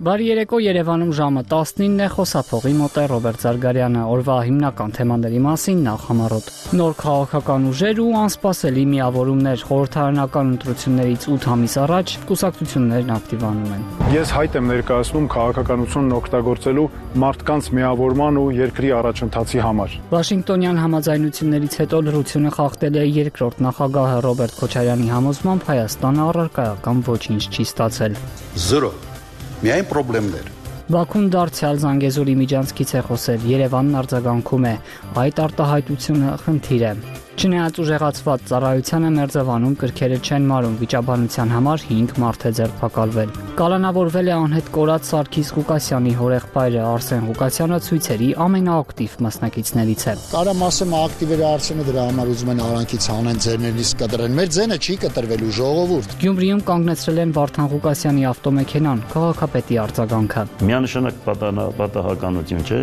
Բարի երեկո, Երևանում ժամը 19-ն է, խոսափողի մոտ է Ռոբերտ Զարգարյանը, օրվա հիմնական թեմաների մասին նախ համառոտ։ Նոր քաղաքական ուժեր ու անսպասելի միավորումներ, խորհրդարանական ընտրություններից 8 ամիս առաջ կուսակցություններն ակտիվանում են։ Ես հայտ եմ ներկայացնում քաղաքականությունն օգտագործելու մարդկանց միավորման ու երկրի առաջընթացի համար։ Վաշինգտոնյան համաձայնություններից հետո լրությունը խախտել է երկրորդ նախագահ Ռոբերտ Քոչարյանի համոզմամբ Հայաստանը առարկայական ոչինչ չի ստացել։ Զրո միայն խնդիրներ։ Բաքուն դարձյալ Զանգեզուրի միջանցքից է խոսել, Երևանն արձագանքում է, այդ արտահայտությունը խնդիր է։ Չնայած ուժեղացված ծառայությանը Մերձավանում կրքերը չեն մարում, վիճաբանության համար 5 մարդ է ձերբակալվել։ Կալանավորվել է անհետ կորած Սարգիս Ղուկասյանի հորեղբայրը Արսեն Ղուկասյանը ցույցերի ամենաակտիվ մասնակիցներից է։ Կարամ ասեմ ակտիվերը Արսենը դրա համար ուզում են արանքից հանեն ձեռներնից կտրեն։ Մեր ձենը չի կտրվելու ժողովուրդ։ Գյումրիում կանգնեցրել են Վարդան Ղուկասյանի ավտոմեքենան, քաղաքապետի արձագանքը։ Միանշանակ պատահականություն չէ,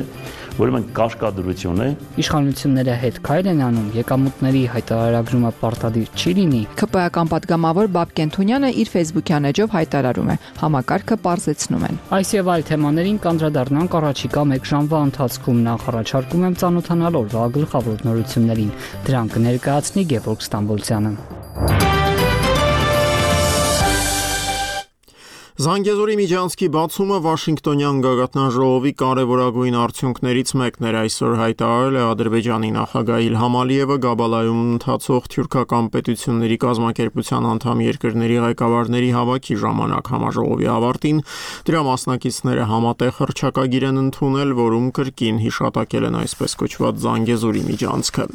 ուրեմն կաշկադրություն է։ Իշխանությունները հետ քայլ են անում, եկամուտների հայտարարագրումը պարտադիր չի լինի։ ՔՊ-ական պատգամավոր Բաբկեն Թունյանը իր Facebook-յան էջով հայտարարում է, համակարգը պարզեցնում են։ Այս եւ այլ թեմաներին կանդրադառնանք առաջիկա 1 ժամվա ընթացքում, նախ առաջարկում եմ ծանոթանալ օրվա գլխավոր նորություններին։ Դրանք կներկայացնի Գևորգ Ստամբոլցյանը։ Զանգեզուրի միջանցքի բացումը Վաշինգտոնյան գագաթնաժողովի կարևորագույն արդյունքներից մեկն էր, այսօր հայտարարել է Ադրբեջանի նախագահ Իլհամ Ալիևը Գաբալայում ընթացող թյուրքական պետությունների կազմակերպության անդամ երկրների ղեկավարների հավաքի ժամանակ համաժողովի ավարտին դրա մասնակիցները համատեղ հռչակագիր են ընդունել, որում կրկին հիշատակել են այսպես կոչված Զանգեզուրի միջանցքը։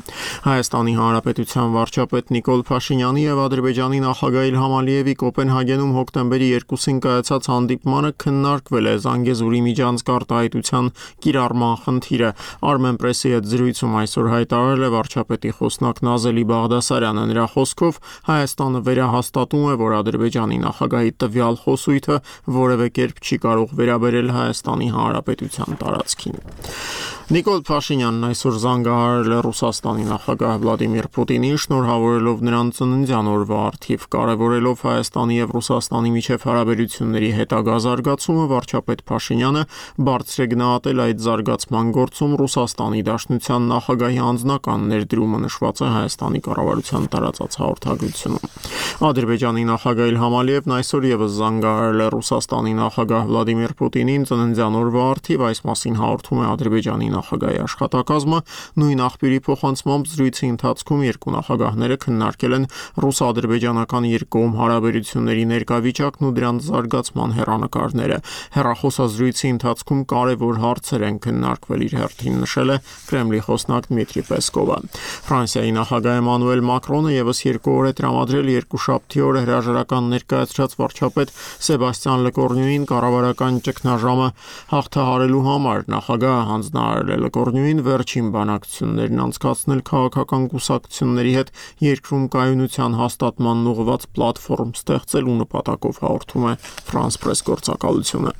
Հայաստանի Հանրապետության վարչապետ Նիկոլ Փաշինյանի եւ Ադրբեջանի նախագահ Իլհամ Ալիևի Կոպենհագենում հոկտեմբերի 2-ին կայացած հանդիպմանը քննարկվել է Զանգեզուրի միջանցք արտահայտության կիրառման խնդիրը։ Armenpress-ի հետ զրույցում այսօր հայտարարել է վարչապետի խոսնակ Նազելի Բաղդասարյանը։ Նրա խոսքով Հայաստանը վերահաստատում է, որ Ադրբեջանի նախագահի տվյալ խոսույթը որևէ կերպ չի կարող վերաբերել Հայաստանի Հանրապետության տարածքին։ Նիկոլ Փաշինյանն այսօր զանգահարել է Ռուսաստանի նախագահ Վլադիմիր Պուտինին, շնորհավորելով նրան ծննդյան օրվա առթիվ, կարևորելով Հայաստանի եւ Ռուսաստանի միջև հարաբերությունների հետագա զարգացումը, վարչապետ Փաշինյանը բարձր է գնահատել այդ զարգացման գործում Ռուսաստանի Դաշնության նախագահի անձնական ներդրումը, նշված է Հայաստանի կառավարության տարածած հաղորդագրությունում։ Ադրբեջանի նախագահ Իլհամ Ալիևն այսօր եւս զանգահարել է Ռուսաստանի նախագահ Վլադիմիր Պուտինին ծննդյան օրվա առթիվ, այս մասին հաղորդում է Ադրբեջանի նախագահի աշխատակազմը։ Նույն աղբյուրի փոխանցմամբ զրույցի ընթացքում երկու նախագահները քննարկել են ռուս-ադրբեջանական երկկողմ հարաբերությունների ներկայվիճակն ու դրանց զարգացման հեռանկարները։ Հեռախոսազրույցի ընթացքում կարևոր հարցեր են քննարկվել, իր հերթին նշել է Կրեմլի խոսնակ Դմիտրի Պեսկովը։ Ֆրանսիայի նախագահ Էմանուել Մակրոնը եւս 2 օր է տրամադրել երկուշաբթի օրը հրաժարական ներկայացրած վարչապետ Սեբաստիան Լեկորնյուին կառավարական ճգնաժամը հաղթահարելու համար։ Նախագահը հանձնարարել է Լեկորնյուին վերջին բանակցություններն անցկացնել քաղաքական կուսակցությունների հետ երկրում կայունության հաստատմանն ուղղված պլատֆորմ ստեղծելու նպատակով, հաղորդում է France Press գործակալությունը։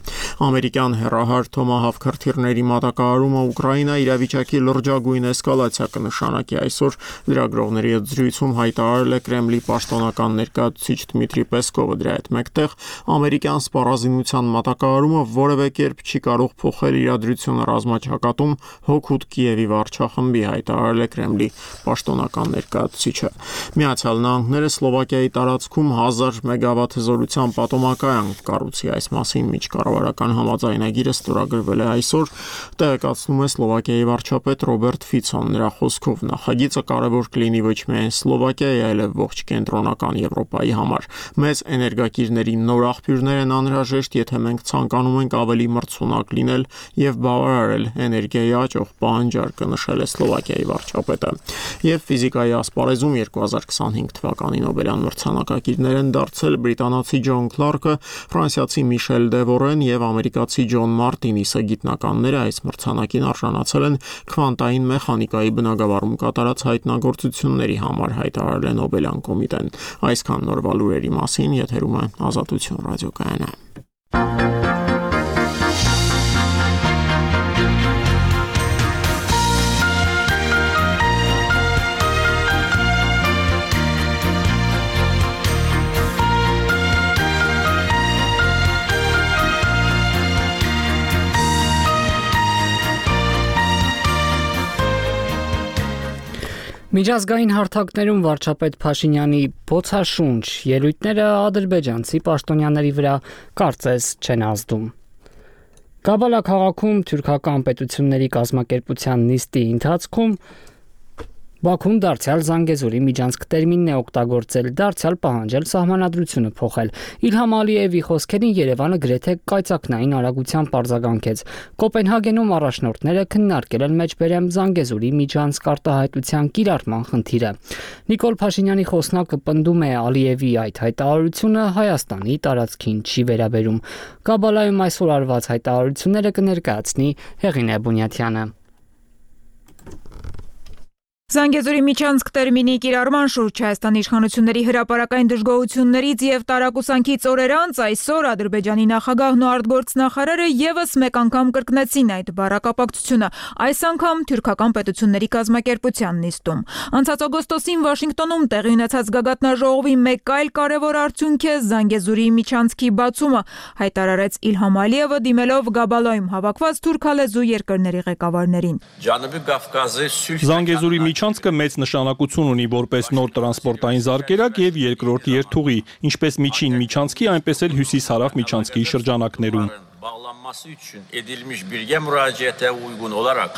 Ամերիկյան հեռահար Թոմահավք հրթիռների մատակարարումը Ուկրաինա իրավիճակի լրջագույն էսկալացիա կնշանակի, այսօր լրագրողների հետ զրույցում հայտարարել է Կրեմլի պաշտոնական ներկայացուցիչ Դմիտրի Պեսկովը։ Դրա հետ մեկտեղ ամերիկյան սպառազինության մատակարարումը որևէ կերպ չի կարող փոխել իրադրությունը ռազմաճակատում հօգուտ Կիևի վարչախմբի, հայտարարել է Կրեմլի պաշտոնական ներկայացուցիչը։ Միացյալ Նահանգները Սլովակիայի տարածքում 1000 մեգավատ հզորության պատոմակայան կառուցի, այս մասին միջկառավարական համաձայնագիրը ստորագրվել է այսօր, տեղեկացնում է Սլովակիայի վարչապետ Ռոբերտ Ֆիցոն։ Նրա խոսքով նախագիծը կարևոր կլինի ոչ միայն Սլովակիայի, այլև ողջ կենտրոնական Եվրոպայի համար։ Մեծ էներգակիրների նոր աղբյուրներ են անհրաժեշտ, եթե մենք ցանկանում ենք ավելի մրցունակ լինել եւ բավարարել էներգիայի աճող պահանջարկը, նշել է Սլովակիայի վարչապետը։ Եվ ֆիզիկայի ասպարեզում 2025 թվականի Նոբելյան մրցանակակիրներ են դարձել բրիտանացի Ջոն Քլարկը, ֆրանսիացի Միշել Դևորեն եւ ամերիկացի Ջոն Մարտինիսը։ Գիտնականները այս մրցանակին արժանացել են քվանտային մեխանիկայի բնագավառում կատարած հայտնագործությունների համար, հայտարարել է Նոբելյան կոմիտեն։ Այսքան նորվա լուրերի մասին, եթերում է Ազատություն ռադիոկայանը։ Միջազգային հարթակներում վարչապետ Փաշինյանի բոցաշունչ ելույթները ադրբեջանցի պաշտոնյաների վրա կարծես չեն ազդում։ Կաբալա քաղաքում թուրքական պետությունների կազմակերպության նիստի ընթացքում Բաքուն դարձյալ Զանգեզուրի միջանցք տերմինն է օգտագործել, դարձյալ պահանջել սահմանադրությունը փոխել։ Իլհամ Ալիևի խոսքերին Երևանը գրեթե կայծակնային արագությամբ արձագանքեց։ Կոպենհագենում առաջնորդները քննարկել են մեջբերեմ Զանգեզուրի միջանցք արտահայտության կիրառման խնդիրը։ Նիկոլ Փաշինյանի խոսնակը պնդում է Ալիևի այդ հայտարարությունը Հայաստանի տարածքին չի վերաբերում։ Կաբալայում այսօր արված հայտարարությունները կներկայացնի Հեղինե Բունյաթյանը։ Զանգեզուրի միջանցք տերմինի կիրառման շուրջ Հայաստանի իշխանությունների հրապարակային դժգոհություններից եւ տարակուսանքից օրեր անց այսօր Ադրբեջանի նախագահն ու արտգործնախարարը եւս մեկ անգամ կրկնեցին այդ բառակապակցությունը, այս անգամ թուրքական պետությունների կազմակերպության նիստում։ Անցած օգոստոսին Վաշինգտոնում տեղի ունեցած գագաթնաժողովի մեկ այլ կարևոր արդյունք է Զանգեզուրի միջանցքի բացումը, հայտարարեց Իլհամ Ալիևը դիմելով Գաբալայում հավաքված թուրքալեզու երկրների ղեկավարներին։ Զանգեզուրի միջանցքը մեծ նշանակություն ունի որպես նոր տրանսպորտային զարկերակ եւ երկրորդ երթուղի, ինչպես միջին միջանցքի, այնպես էլ հյուսիս-հարավ միջանցքի շրջանակներում։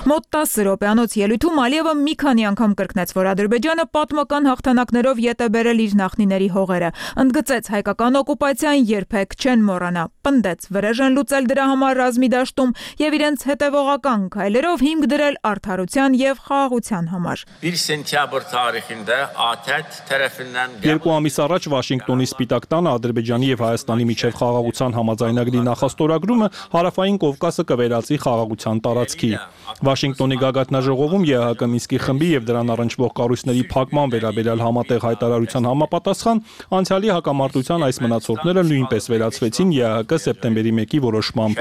Մոտ 10 րոպեանոց ելույթում Ալիևը մի քանի անգամ կրկնեց, որ Ադրբեջանը պատմական հաղթանակներով ետ է բերել իր նախնիների հողերը, ընդգծեց հայկական օկուպացիան երբեք չեն մոռանա, պնդեց վրեժ են լուծել դրա համար ռազմի դաշտում եւ իրենց հետեւողական քայլերով հիմք դրել արդարության եւ խաղաղության համար։ 1 սենտյաբր տարեխինդե ԱԹԵՏ tərəfindən 2 ամիս առաջ Վաշինգտոնի Սպիտակ տանը Ադրբեջանի եւ Հայաստանի միջև խաղաղության համաձայնագրի նախաստորագրումը Հարավային Կովկասը կվերածի խաղաղության տարածքի։ Վաշինգտոնի գագաթնաժողովում ԵԱՀԿ Մինսկի խմբի եւ դրան առնչվող կառույցների փակման վերաբերյալ համատեղ հայտարարության համապատասխան անցյալի հակամարտության այս մնացորդները նույնպես վերացվեցին ԵԱՀԿ սեպտեմբերի 1-ի որոշմամբ։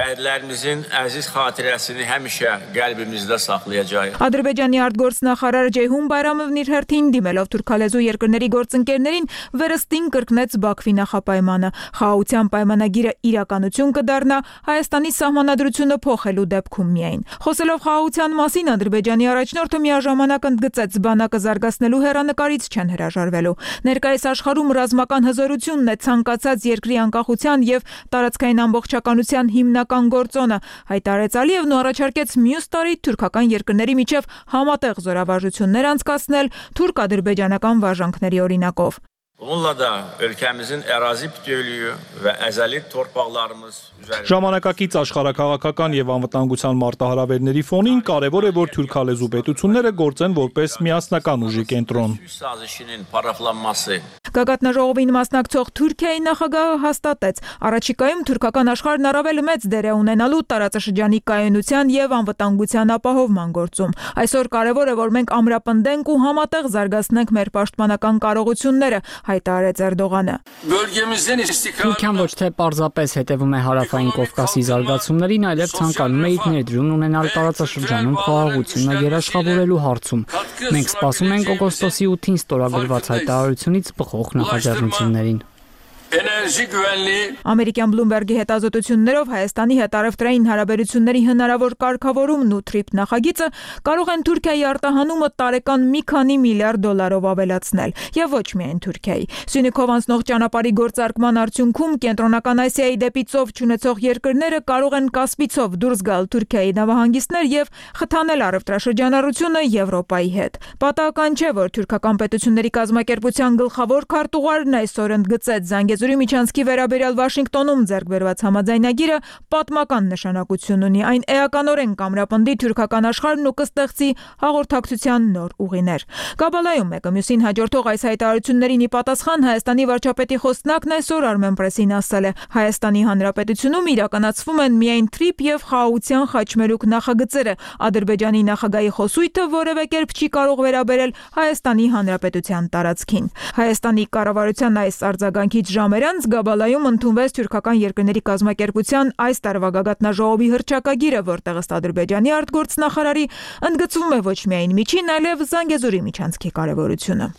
Ադրբեջանի արտգործնախարար Ջեյհուն Բայրամովն իր հերթին դիմելով թուրքալեզու երկրների գործընկերներին վերստին կրկնեց Բաքվի նախապայմանը։ Խաղաղության պայմանագիրը իրականություն կդառնա Հայաստանի սահմանադրությունը փոխելու դեպքում միայն։ Խոսելով խաղաղության մասին Ադրբեջանի առաջնորդը միաժամանակ ընդգծեց բանակը զարգացնելու հեռանկարից չեն հրաժարվելու։ Ներկայիս աշխարհում ռազմական հզորությունն է ցանկացած երկրի անկախության եւ տարածքային ամբողջականության հիմնական գործոնը, հայտարարեց Ալիևն ու առաջարկեց մյուս տարի թուրքական երկրների միջև համատեղ զորավարժություններ անցկացնել թուրք-ադրբեջանական վարժանքների օրինակով։ Onunla da ülkemizin ərazi bütövlüyü və əzəli torpaqlarımız Ժամանակակից աշխարհակաղակական եւ անվտանգության մարտահրավերների ֆոնին կարեւոր է, որ թուրքալեզու պետությունները գործեն որպես միասնական ուժի կենտրոն։ Գագաթնաժողովին մասնակցող Թուրքիայի նախագահը հաստատեց, առաջիկայում թուրքական աշխարհն առավել մեծ դեր է ունենալու տարածաշրջանի կայունության եւ անվտանգության ապահովման գործում։ Այսօր կարեւոր է, որ մենք ամրապնդենք ու համատեղ զարգացնենք մեր պաշտպանական կարողությունները, հայտարարեց Էրդողանը։ Թուրքիան ոչ թե պարզապես հետևում է Հարավային Կովկասի զարգացումներին, այլև ցանկանում է իր ներդրումն ունենալ տարածաշրջանում խաղաղությունը երաշխավորելու հարցում։ Մենք սպասում ենք օգոստոսի 8-ին ստորագրված հայտարարությունից բխող նախաձեռնություններին։ Ամերիկյան Բլումբերգի հետազոտություններով Հայաստանի հետ առևտրային հարաբերությունների հնարավոր կարգավորումն ու TRIP նախագիծը կարող են Թուրքիայի արտահանումը տարեկան մի քանի միլիարդ դոլարով ավելացնել, եւ ոչ միայն Թուրքիայի։ Սյունիքով անցնող ճանապարհի գործարկման արդյունքում Կենտրոնական Ասիայի դեպի ծով չունեցող երկրները կարող են Կասպիցով դուրս գալ Թուրքիայի նավահանգիստներ եւ խթանել առևտրաշրջանառությունը Եվրոպայի հետ։ Պատահական չէ, որ թուրքական պետությունների կազմակերպության գլխավոր քարտուղարն այսօր ընդգծեց Զանգեզուրի միջանցքի վերաբերյալ Վաշինգտոնում ձեռք բերված համաձայնագիրը պատմական նշանակություն ունի։ Այն էականորեն կամրապնդի թուրքական աշխարհն ու կստեղծի հաղորդակցության նոր ուղիներ։ Կաբալայում մեկը մյուսին հաջորդող այս հայտարարություններին ի պատասխան Հայաստանի վարչապետի խոսնակն այսօր Armenpress-ին ասել է. Հայաստանի Հանրապետությունում իրականացվում են միայն TRIP եւ խաղաղության խաչմերուկ նախագծերը։ Ադրբեջանի նախագահի խոսույթը որևէ կերպ չի կարող վերաբերել Հայաստանի Հանրապետության տարածքին։ Հայաստանի կառավարության այս արձագանքից ժամեր անց Գաբալայում ընդունվեց թուրքական երկրների կազմակերպության այս տարվա գագաթնաժողովի հռչակագիրը, որտեղ ըստ Ադրբեջանի արտգործնախարարի ընդգծվում է ոչ միայն միջին, այլև Զանգեզուրի միջանցքի կարևորությունը։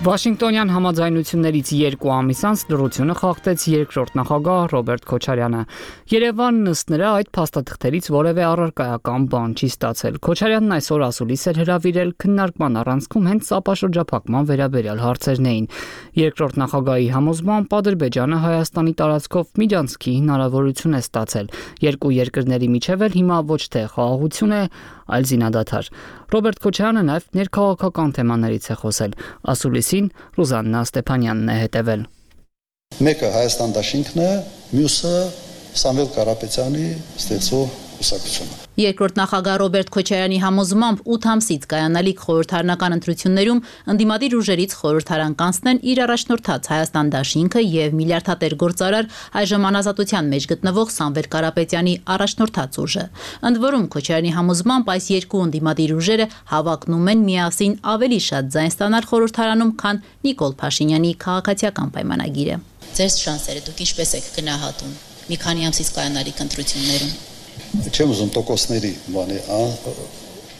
Վաշինգտոնյան համաձայնություններից 2 ամիս անց լրությունը խախտեց երկրորդ նախագահ Ռոբերտ Քոչարյանը։ Երևանն ըստ նրա այդ փաստաթղթերից որևէ առարկայական բան չի ստացել։ Քոչարյանն այսօր ասուլիս էր հրավիրել քննարկման առանցքում հենց ապաշրջափակման վերաբերյալ հարցերն էին։ Երկրորդ նախագահի համոզմամբ Ադրբեջանը Հայաստանի տարածքով միջանցքի հնարավորություն է ստացել։ Երկու երկրների միջև էլ հիմա ոչ թե խաղաղություն է, այլ զինադադար։ Ռոբերտ Քոչարյանը նաև ներքաղաքական թեմաներից է խոսել։ Ասուլիսին Ռուզաննա Ստեփանյանն է հետևել։ Մեկը Հայաստան դաշինքն է, մյուսը Սամվել Կարապետյանի ստեղծող կուսակցությունը։ Երկրորդ նախագահ Ռոբերտ Քոչարյանի համոզմամբ 8 ամսից կայանալիք խորհրդարանական ընտրություններում ընդդիմադիր ուժերից խորհրդարան կանցնեն իր առաջնորդած Հայաստան դաշինքը եւ միլիարդատեր գործարար այժմ անազատության մեջ գտնվող Սամվել Կարապետյանի առաջնորդած ուժը։ Ընդ որում Քոչարյանի համոզմամբ այս երկու ընդդիմադիր ուժերը հավակնում են միասին ավելի շատ ձայն ստանալ խորհրդարանում, քան Նիկոլ Փաշինյանի քաղաքացիական պայմանագիրը։ Ձեր շանսերը դուք ինչպես եք գնահատում մի քանի ամսից կայանալիք ընտրություններում։ Չեմ ուզում տոկոսների բանի,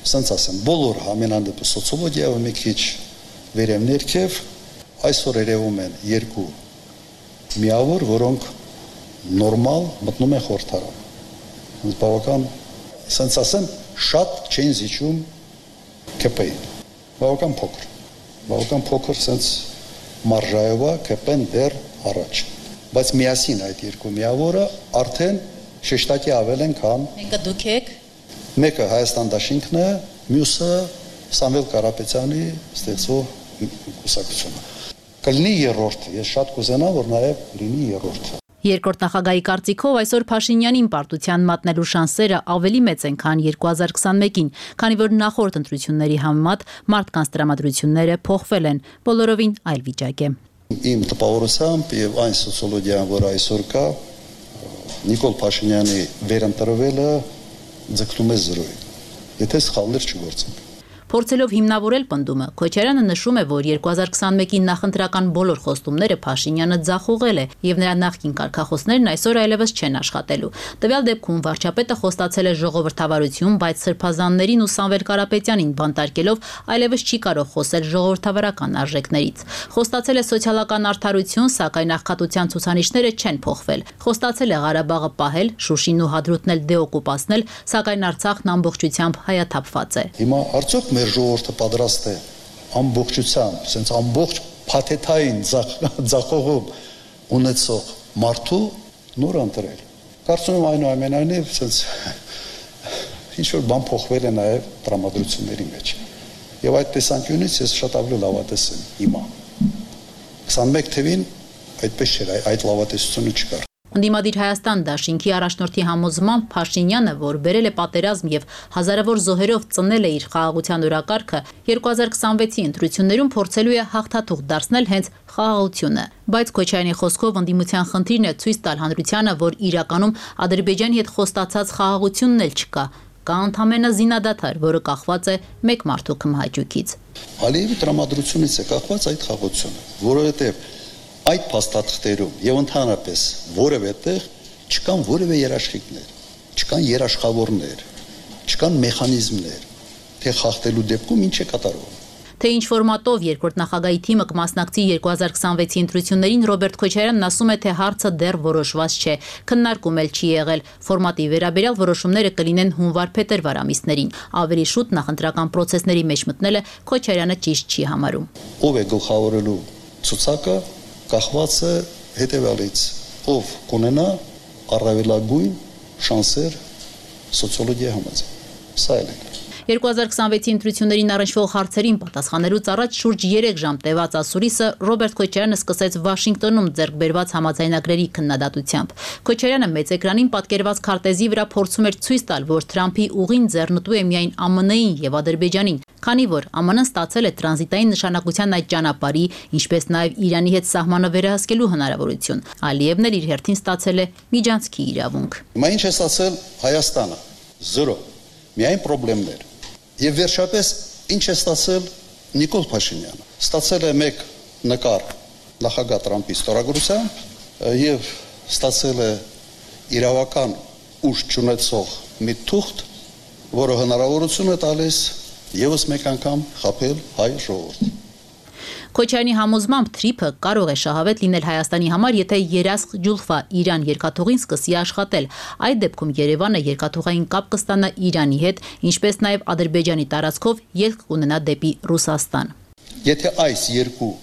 սենց ասեմ, բոլոր համենանդեպ սոցիոլոգիայով մի քիչ վերև ներքև այսօր երևում են երկու միավոր, որոնք նորմալ մտնում են խորհրդարան։ Բավական, սենց ասեմ, շատ չեն զիջում ԿՊ-ին։ Բավական փոքր սենց մարժայով է ԿՊ-ն դեռ առաջ։ Բայց միասին այդ երկու միավորը արդեն շեշտակի ավել են, քան Մեկը դուք եք։ Մեկը Հայաստան դաշինքն է, մյուսը Սամվել Կարապետյանի ստեղծող կուսակցությունը։ Կլինի երրորդ, ես շատ կուզենամ, որ նաև լինի երրորդ։ Երկրորդ նախագահի կարծիքով այսօր Փաշինյանին պարտության մատնելու շանսերը ավելի մեծ են, քան 2021-ին, քանի որ նախորդ ընտրությունների համեմատ մարդկանց տրամադրությունները փոխվել են, բոլորովին այլ վիճակ է։ Իմ տպավորությամբ եւ այն սոցիոլոգիան, որ այսօր կա, Նիկոլ Փաշինյանի վերընտրվելը ձգտում է 0-ին, եթե սխալներ չգործենք։ Փորձելով հիմնավորել պնդումը, Քոչարյանը նշում է, որ 2021-ի նախընտրական բոլոր խոստումները Փաշինյանը ձախողել է եւ նրա նախկին կարգախոսներն այսօր այլևս չեն աշխատելու։ Տվյալ դեպքում վարչապետը խոստացել է ժողովրդավարություն, բայց սրբազաններին ու Սամվել Կարապետյանին բանտարկելով այլևս չի կարող խոսել ժողովրդավարական արժեքներից։ Խոստացել է սոցիալական արդարություն, սակայն աղքատության ցուցանիշները չեն փոխվել։ Խոստացել է Ղարաբաղը պահել, Շուշին ու Հադրութն էլ դեօկուպացնել, սակայն Արցախն ամբողջությամբ հայաթափված է։ Հիմա արդյոք մեր ժողովուրդը պատրաստ է ամբողջությամբ, sense ամբողջ փաթեթային ձախողում ունեցող մարդու նոր ընտրել։ Կարծում եմ այնուամենայնիվ sense ինչ որ բան փոխվել է նաև տրամադրությունների մեջ։ Եվ այդ տեսանկյունից ես շատ ավելի լավատես եմ հիմա։ 21 թվին այդպես չէր, այդ լավատեսությունը չկար։ Ընդդիմադիր Հայաստան դաշինքի առաջնորդի համոզմամբ Փաշինյանը, որ բերել է պատերազմ եւ հազարավոր զոհերով ծնել է իր խաղաղության օրակարգը, 2026-ի ընտրություններում փորձելու է հաղթաթուղթ դարձնել հենց խաղաղությունը։ Բայց Քոչարյանի խոսքով ընդդիմության խնդիրն է ցույց տալ հանրությանը, որ իրականում Ադրբեջանի հետ խոստացած խաղաղությունն էլ չկա։ Կա ընդամենը զինադադար, որը կախված է մեկ մարդու քմահաճույքից։ Ալիևի տրամադրությունից է կախված այդ խաղաղությունը, որովհետեւ այդ փաստաթղթերում եւ ընդհանրապես որևէ տեղ չկան որևէ երաշխիքներ, չկան երաշխավորներ, չկան մեխանիզմներ, թե խախտելու դեպքում ինչ է կատարվում։ Թե ինչ ֆորմատով երկրորդ նախագահի թիմը կմասնակցի 2026-ի ընտրություններին, Ռոբերտ Քոչարյանն ասում է, թե հարցը դեռ որոշված չէ, քննարկում էլ չի եղել։ Ֆորմատի վերաբերյալ որոշումները կլինեն հունվար-փետրվար ամիսներին։ Ավելի շուտ նախընտրական պրոցեսների մեջ մտնելը Քոչարյանը ճիշտ չի համարում։ Ով է գլխավորելու ցուցակը կախված է հետևյալից, ով կունենա առավելագույն շանսեր սոցիոլոգիայի համաձայն։ Սա էլ է։ 2026-ի ընտրություններին առնչվող հարցերին պատասխանելուց առաջ շուրջ 3 ժամ տևած ասուլիսը Ռոբերտ Քոչարյանը սկսեց Վաշինգտոնում ձեռք բերված համաձայնագրերի քննադատությամբ։ Քոչարյանը մեծ էկրանին պատկերված քարտեզի վրա փորձում էր ցույց տալ, որ Թրամփի ուղին ձեռնտու է միայն ԱՄՆ-ին եւ Ադրբեջանին, քանի որ ԱՄՆ-ն ստացել է տրանզիտային նշանակության այդ ճանապարհի, ինչպես նաեւ Իրանի հետ սահմանը վերահսկելու հնարավորություն։ Ալիևն էլ իր հերթին ստացել է միջանցքի իրավունք։ Հիմա ինչ է ստացել Հայաստանը։ 0։ Միայն խնդիրներ։ Եվ վերջապես ինչ է ստացել Նիկոլ Փաշինյանը։ Ստացել է մեկ նկար նախագահ Տրամփի ստորագրությամբ եւ ստացել է իրավական ուժ չունեցող մի թուղթ, որը հնարավորություն է տալիս եւս մեկ անգամ խաբել հայ ժողովրդին։ Քոչարյանի համոզմամբ թրիփը կարող է շահավետ լինել Հայաստանի համար, եթե Երասխ Ջուլֆա Իրան երկաթուղին սկսի աշխատել։ Այդ դեպքում Երևանը երկաթուղային կապ կստանա Իրանի հետ, ինչպես նաև Ադրբեջանի տարածքով ելք կունենա դեպի Ռուսաստան։ Եթե այս երկու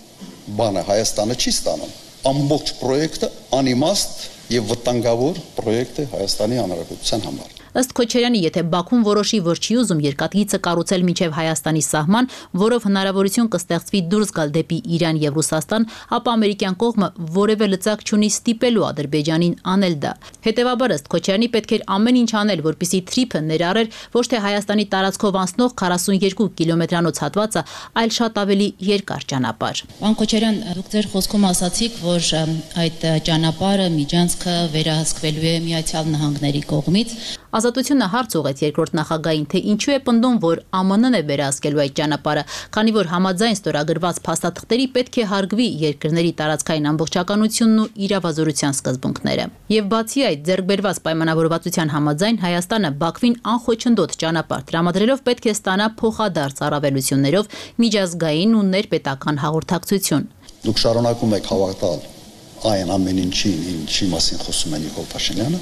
բանը Հայաստանը չի ստանում, ամբողջ պրոյեկտը անիմաստ եւ վտանգավոր պրոյեկտ է Հայաստանի Հանրապետության համար։ Ըստ Քոչարյանի, եթե Բաքուն որոշի, որ չի ուզում երկաթգիծը կառուցել մինչև Հայաստանի սահման, որով հնարավորություն կստեղծվի դուրս գալ դեպի Իրան եւ Ռուսաստան, ապա ամերիկյան կողմը որևէ լծակ չունի ստիպելու Ադրբեջանին անել դա։ Հետևաբար, ըստ Քոչարյանի, պետք էր ամեն ինչ անել, որպեսզի թրիփը ներառեր ոչ թե Հայաստանի տարածքով անցնող 42 կիլոմետրանոց հատվածը, այլ շատ ավելի երկար ճանապարհ։ Պարոն Քոչարյան, դուք ձեր խոսքում ասացիք, որ այդ ճանապարհը միջանցքը վերահսկվելու է Միացյալ Նահանգների կողմից։ Ազատությունը հարց ուղեց երկրորդ նախագահին, թե ինչու է պնդում, որ ԱՄՆ-ն է վերահսկելու այդ ճանապարհը, քանի որ համաձայն ստորագրված փաստաթղթերի պետք է հարգվի երկրների տարածքային ամբողջականությունն ու իրավազորության սկզբունքները։ Եվ բացի այդ, ձեռքբերված պայմանավորվածության համաձայն Հայաստանը Բաքվին անխոչնդոտ ճանապարհ տրամադրելով պետք է ստանա փոխադարձ առավելություններով միջազգային ու ներպետական հաղորդակցություն։ Դուք շարունակում եք հավատալ այն ամեն ինչին, ինչի մասին խոսում են Նիկոլ Փաշինյանը,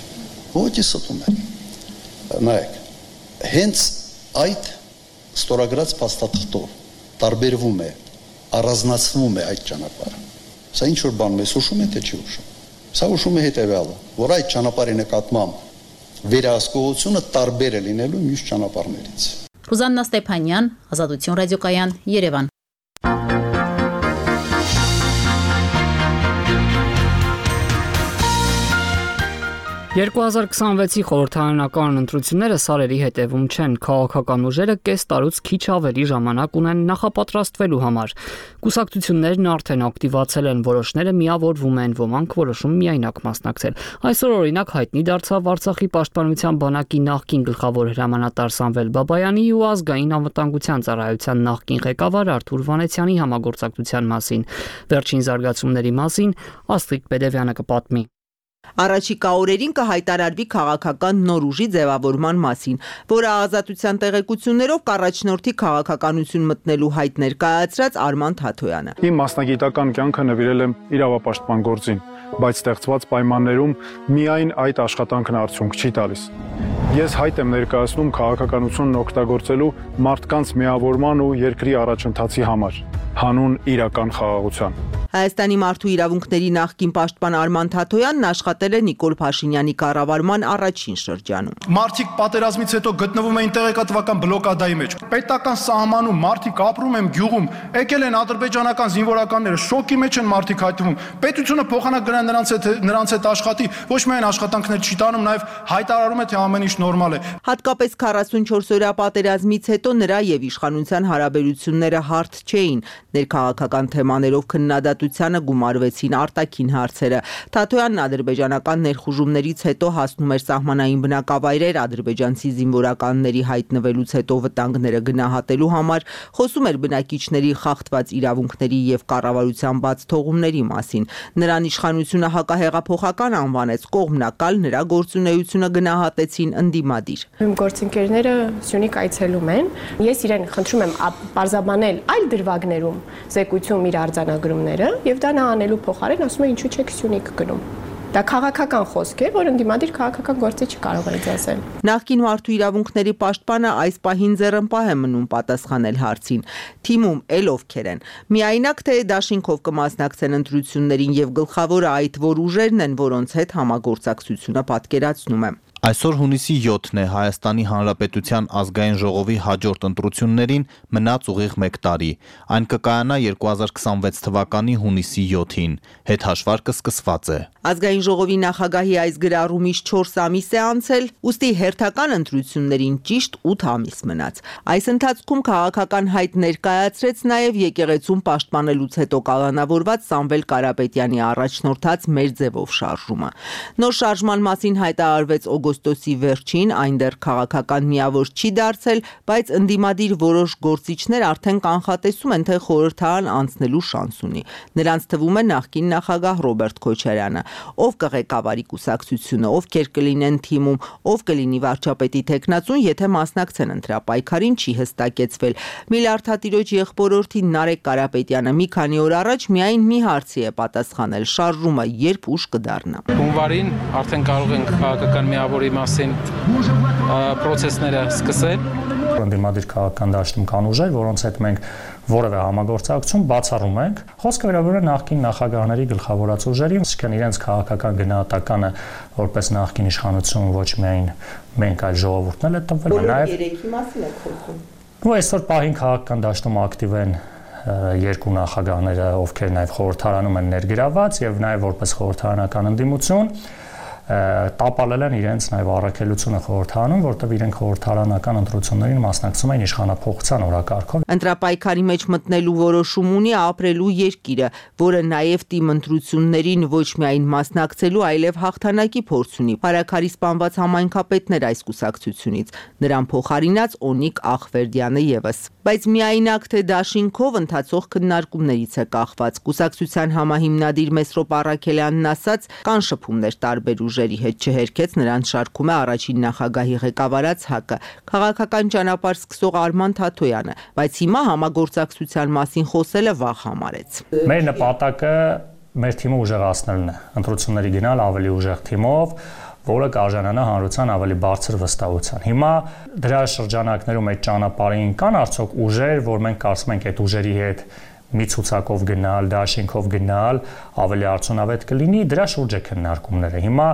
ոչ ստում եք։ Նայեք, հենց այդ ստորագրած փաստաթղթով տարբերվում է, առանձնացվում է այդ ճանապարհը։ Սա ինչ որ բան մեզ հուշում է, թե չի հուշում։ Սա հուշում է հետևյալը, որ այդ ճանապարհի նկատմամբ վերահսկողությունը տարբեր է լինելու մյուս ճանապարհներից։ Ռուզաննա Ստեփանյան, Ազատություն ռադիոկայան, Երևան։ 2026-ի խորհրդարանական ընտրությունները սարերի հետևում չեն, քաղաքական ուժերը կես տարուց քիչ ավելի ժամանակ ունեն նախապատրաստվելու համար։ Կուսակցություններն արդեն ակտիվացել են, որոշները միավորվում են, ոմանք որոշում միայնակ մասնակցել։ Այսօր օրինակ հայտնի դարձավ Արցախի պաշտպանության բանակի նախկին գլխավոր հրամանատար Սամվել Բաբայանի ու ազգային անվտանգության ծառայության նախկին ղեկավար Արթուր Վանեցյանի համագործակցության մասին։ Վերջին զարգացումների մասին Աստղիկ Պետևյանը կպատմի։ Առաջիկա օրերին կհայտարարվի քաղաքական նոր ուժի ձևավորման մասին, որը ազատության տեղեկություններով կառաջնորդի քաղաքականություն մտնելու հայտ ներկայացրած Արման Թաթոյանը։ Իմ մասնագիտական կյանքը նվիրել եմ իրավապաշտպան գործին, բայց ստեղծված պայմաններում միայն այդ աշխատանքն արդյունք չի տալիս։ Ես հայտ եմ ներկայացնում քաղաքականությունն օգտագործելու մարդկանց միավորման ու երկրի առաջընթացի համար, հանուն իրական խաղաղության։ Հայաստանի մարդու իրավունքների նախկին պաշտպան Արման Թաթոյանն աշխատել է Նիկոլ Փաշինյանի կառավարման առաջին շրջանում։ Մարդիկ պատերազմից հետո գտնվում էին տեղեկատվական բլոկադայի մեջ։ Պետական սահմանում մարդիկ ապրում են գյուղում, եկել են ադրբեջանական զինվորականները, շոկի մեջ են մարդիկ հայտնվում։ Պետությունը փոխանակ գնա նրանց հետ աշխատի, ոչ միայն աշխատանքներ չի տանում, նաև հայտարարում է, թե ամեն ինչ նորմալ է։ Հատկապես 44-օրյա պատերազմից հետո նրա եւ իշխանության հարաբերությունները հարթ չէին։ Ներքաղաքական թեմաներով քննադատությանը գումարվեցին արտաքին հարցերը։ Թաթոյանն ադրբեջանական ներխուժումներից հետո հասնում էր սահմանային բնակավայրեր, ադրբեջանցի զինվորականների հայտնվելուց հետո վտանգները գնահատելու համար, խոսում էր բնակիչների խախտված իրավունքների եւ կառավարության բաց թողումների մասին։ Նրան իշխանությունը հակահեղափոխական անվանեց, կողմնակալ նրա գործունեությունը գնահատեցին ընդդիմադիր։ Իմ գործընկերները Սյունիք այցելում են։ Ես իրեն խնդրում եմ պարզաբանել այլ դրվագներում զեկույցում իր արձանագրումները եւ դա նա անելու փոխարեն ասում է ինչու չեք Սյունիք գնում։ Դա քաղաքական խոսք է, որ ընդդիմադիր քաղաքական գործի չկարող է ասել։ Նախկին մարդու իրավունքների պաշտպանը այս պահին ձեռնպահ է մնում պատասխանել հարցին։ Թիմում էլ ովքեր են։ Միայնակ թե դաշինքով կմասնակցեն ընտրություններին եւ գլխավորը այդ որ ուժերն են, որոնց հետ համագործակցությունը պատկերացնում է։ Այսօր հունիսի 7-ն է, Հայաստանի Հանրապետության ազգային ժողովի հաջորդ ընտրություններին մնաց ուղիղ 1 տարի։ Այն կկայանա 2026 թվականի հունիսի 7-ին։ Հետհաշվարկը սկսված է։ Ազգային ժողովի նախագահի այս գրառումից 4 ամիս է անցել, ուստի հերթական ընտրություններին ճիշտ 8 ամիս մնաց։ Այս ընթացքում քաղաքական հայտ ներկայացրեց նաև եկեղեցում պաշտպանելուց հետո կալանավորված Սամվել Կարապետյանի առաջնորդած մեր ձևով շարժումը։ Նոր շարժման մասին հայտարարվեց օգոստոսի օգոստոսի վերջին այն դեռ քաղաքական միավոր չի դարձել, բայց ընդդիմադիր որոշ գործիչներ արդեն կանխատեսում են, թե խորհրդարան անցնելու շանս ունի։ Նրանց թվում է նախկին նախագահ Ռոբերտ Քոչարյանը, ով կղեկավարի կուսակցությունը, ովքեր կլինեն թիմում, ով կլինի վարչապետի թեկնածուն, եթե մասնակցեն ընտրապայքարին, չի հստակեցվել։ Միլիարդատիրոջ եղբորորդի Նարեկ Կարապետյանը մի քանի օր առաջ միայն մի հարցի է պատասխանել՝ շարժումը երբ ուշ կդառնա։ Հունվարին արդեն կարող ենք քաղաքական միավորի մասին պրոցեսները սկսել։ Ընդդիմադիր քաղաքական դաշտում կան ուժեր, որոնց հետ մենք որևէ համագործակցություն բացառում ենք։ Խոսքը վերաբերում է նախկին նախագահների գլխավորած ուժերին, այսինքն իրենց քաղաքական գնահատականը որպես նախկին իշխանություն ոչ միայն մենք, այլ ժողովուրդն էլ է տվել, նաև երեքի մասին եք խոսում։ Ու այսօր պահին քաղաքական դաշտում ակտիվ են երկու նախագահները, ովքեր նաև խորհրդարանում են ներգրաված եւ նաև որպես խորհրդարանական ընդդիմություն տապալել են իրենց նաև առաքելությունը խորհրդարանում, որտեղ իրենք խորհրդարանական ընտրություններին մասնակցում են իշխանափոխության օրակարգով։ Ընտրապայքարի մեջ մտնելու որոշում ունի ապրելու երկիրը, որը նաև թիմ ընտրություններին ոչ միայն մասնակցելու, այլև հաղթանակի փորձ ունի։ Փարաքարի սպանված համայնքապետներ այս կուսակցությունից, նրան փոխարինած Օնիկ Ախվերդյանը եւս։ Բայց միայնակ թե դաշինքով ընթացող քննարկումներից է կախված։ Կուսակցության համահիմնադիր Մեսրոպ Առաքելյանն ասաց, կան շփումներ տարբեր ուժերի հետ, չհերքեց նրանց շարքում է առաջին նախագահի ղեկավարած ՀԱԿ-ը, քաղաքական ճանապարհ սկսող Արման Թաթոյանը, բայց հիմա համագործակցության մասին խոսելը վաղ համարեց։ Մեր նպատակը մեր թիմը ուժեղացնելն է, ընտրությունների գնալ ավելի ուժեղ թիմով, որը կարժանանա հանրության ավելի բարձր վստահության։ Հիմա դրա շրջանակներում այդ ճանապարհին կան արդյոք ուժեր, որ մենք կարծում ենք այդ ուժերի հետ մի ցուցակով գնալ, դաշինքով գնալ ավելի արդյունավետ կլինի, դրա շուրջ է քննարկումները։ Հիմա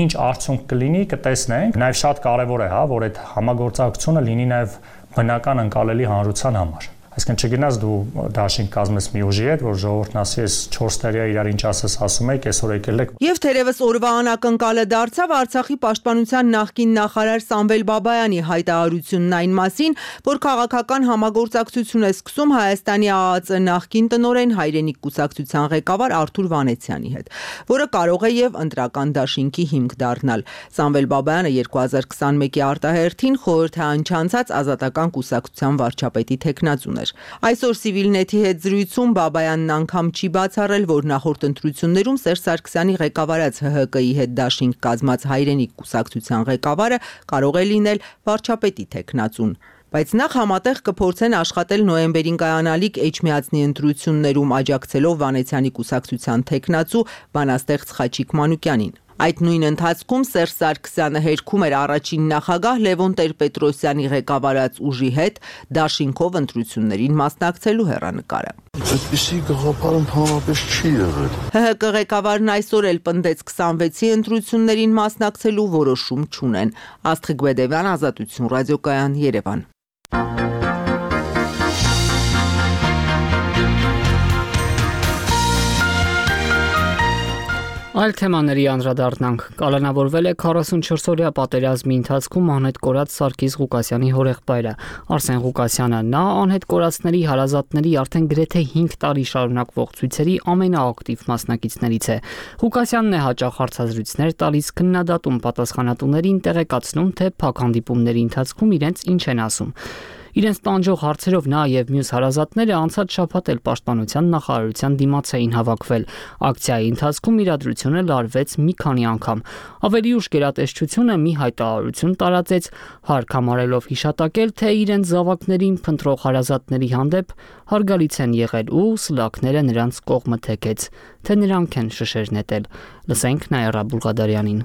ինչ արդյունք կլինի, կտեսնենք։ Նաև շատ կարևոր է, որ այդ համագործակցությունը լինի նաև բնական ընկալելի հանրության համար։ Այսինքն չգնաս դու դաշինք կազմես մի ուժի հետ, որ ժողովուրդն ասի, ես 4 տարի իրար ինչ ասես ասում եք, այսօր եկել եք։ Եվ թերևս օրվա անակնկալը դարձավ Արցախի պաշտպանության նախկին նախարար Սամվել Բաբայանի հայտարարությունն այն մասին, որ քաղաքական համագործակցություն է սկսում Հայաստանի ԱԱԾ նախկին տնօրեն Հայրենիք կուսակցության ղեկավար Արթուր Վանեցյանի հետ, որը կարող է եւ ընտրական դաշինքի հիմք դառնալ։ Սամվել Բաբայանը 2021-ի արտահերթին խորհրդարան չանցած Ազատական կուսակցության վարչապետի թեկնածուն Այսօր Civilnet-ի հետ զրույցում Բաբայանն անգամ չի բացառել, որ նախորդ ընտրություններում Սերժ Սարգսյանի ղեկավարած ՀՀԿ-ի հետ դաշինք կազմած Հայրենիք կուսակցության ղեկավարը կարող է լինել վարչապետի թեկնածուն։ Բայց նախ համատեղ կփորձեն աշխատել նոյեմբերին կայանալիք Էջմիածնի ընտրություններում աջակցելով Վանեցյանի կուսակցության թեկնածու բանաստեղծ Խաչիկ Մանուկյանին։ Այդ նույն ընթացքում Սերժ Սարգսյանը հերքում էր առաջին նախագահ Լևոն Տեր-Պետրոսյանի ղեկավարած ուժի հետ դաշինքով ընտրություններին մասնակցելու հեռանկարը։ Այդպիսի գաղափար ընդհանրապես չի եղել։ ՀՀԿ ղեկավարն այսօր էլ պնդեց 26-ի ընտրություններին մասնակցելու որոշում չունեն։ Աստղիկ Բեդևյան, Ազատություն ռադիոկայան, Երևան։ Այլ թեմաների անդրադառնանք։ Կալանավորվել է 44-օրյա պատերազմի ընթացքում անհետ կորած Սարգիս Ղուկասյանի հորեղբայրը Արսեն Ղուկասյանը։ Նա անհետ կորածների հարազատների արդեն գրեթե 5 տարի շարունակվող ցույցերի ամենաակտիվ մասնակիցներից է։ Ղուկասյանն է հաճախ հարցազրույցներ տալիս, քննադատում պատասխանատուներին, տեղեկացնում, թե փակ հանդիպումների ընթացքում իրենց ինչ են ասում։ Իրենց տանջող հարցերով նա եւ մյուս հարազատները անցած շաբաթ էլ Պաշտպանության նախարարության դիմաց էին հավաքվել։ Ակցիայի ընթացքում իրադրությունը լարվեց մի քանի անգամ։ Ավելի ուշ գերատեսչությունը մի հայտարարություն տարածեց, հարկ համարելով հիշատակել, թե իրենց զավակներին փնտրող հարազատների հանդեպ հարգալից են եղել ու սլաքները նրանց կողմը թեքեց, թե նրանք են շշեր նետել։ Լսենք Նայրա Բուլղադարյանին։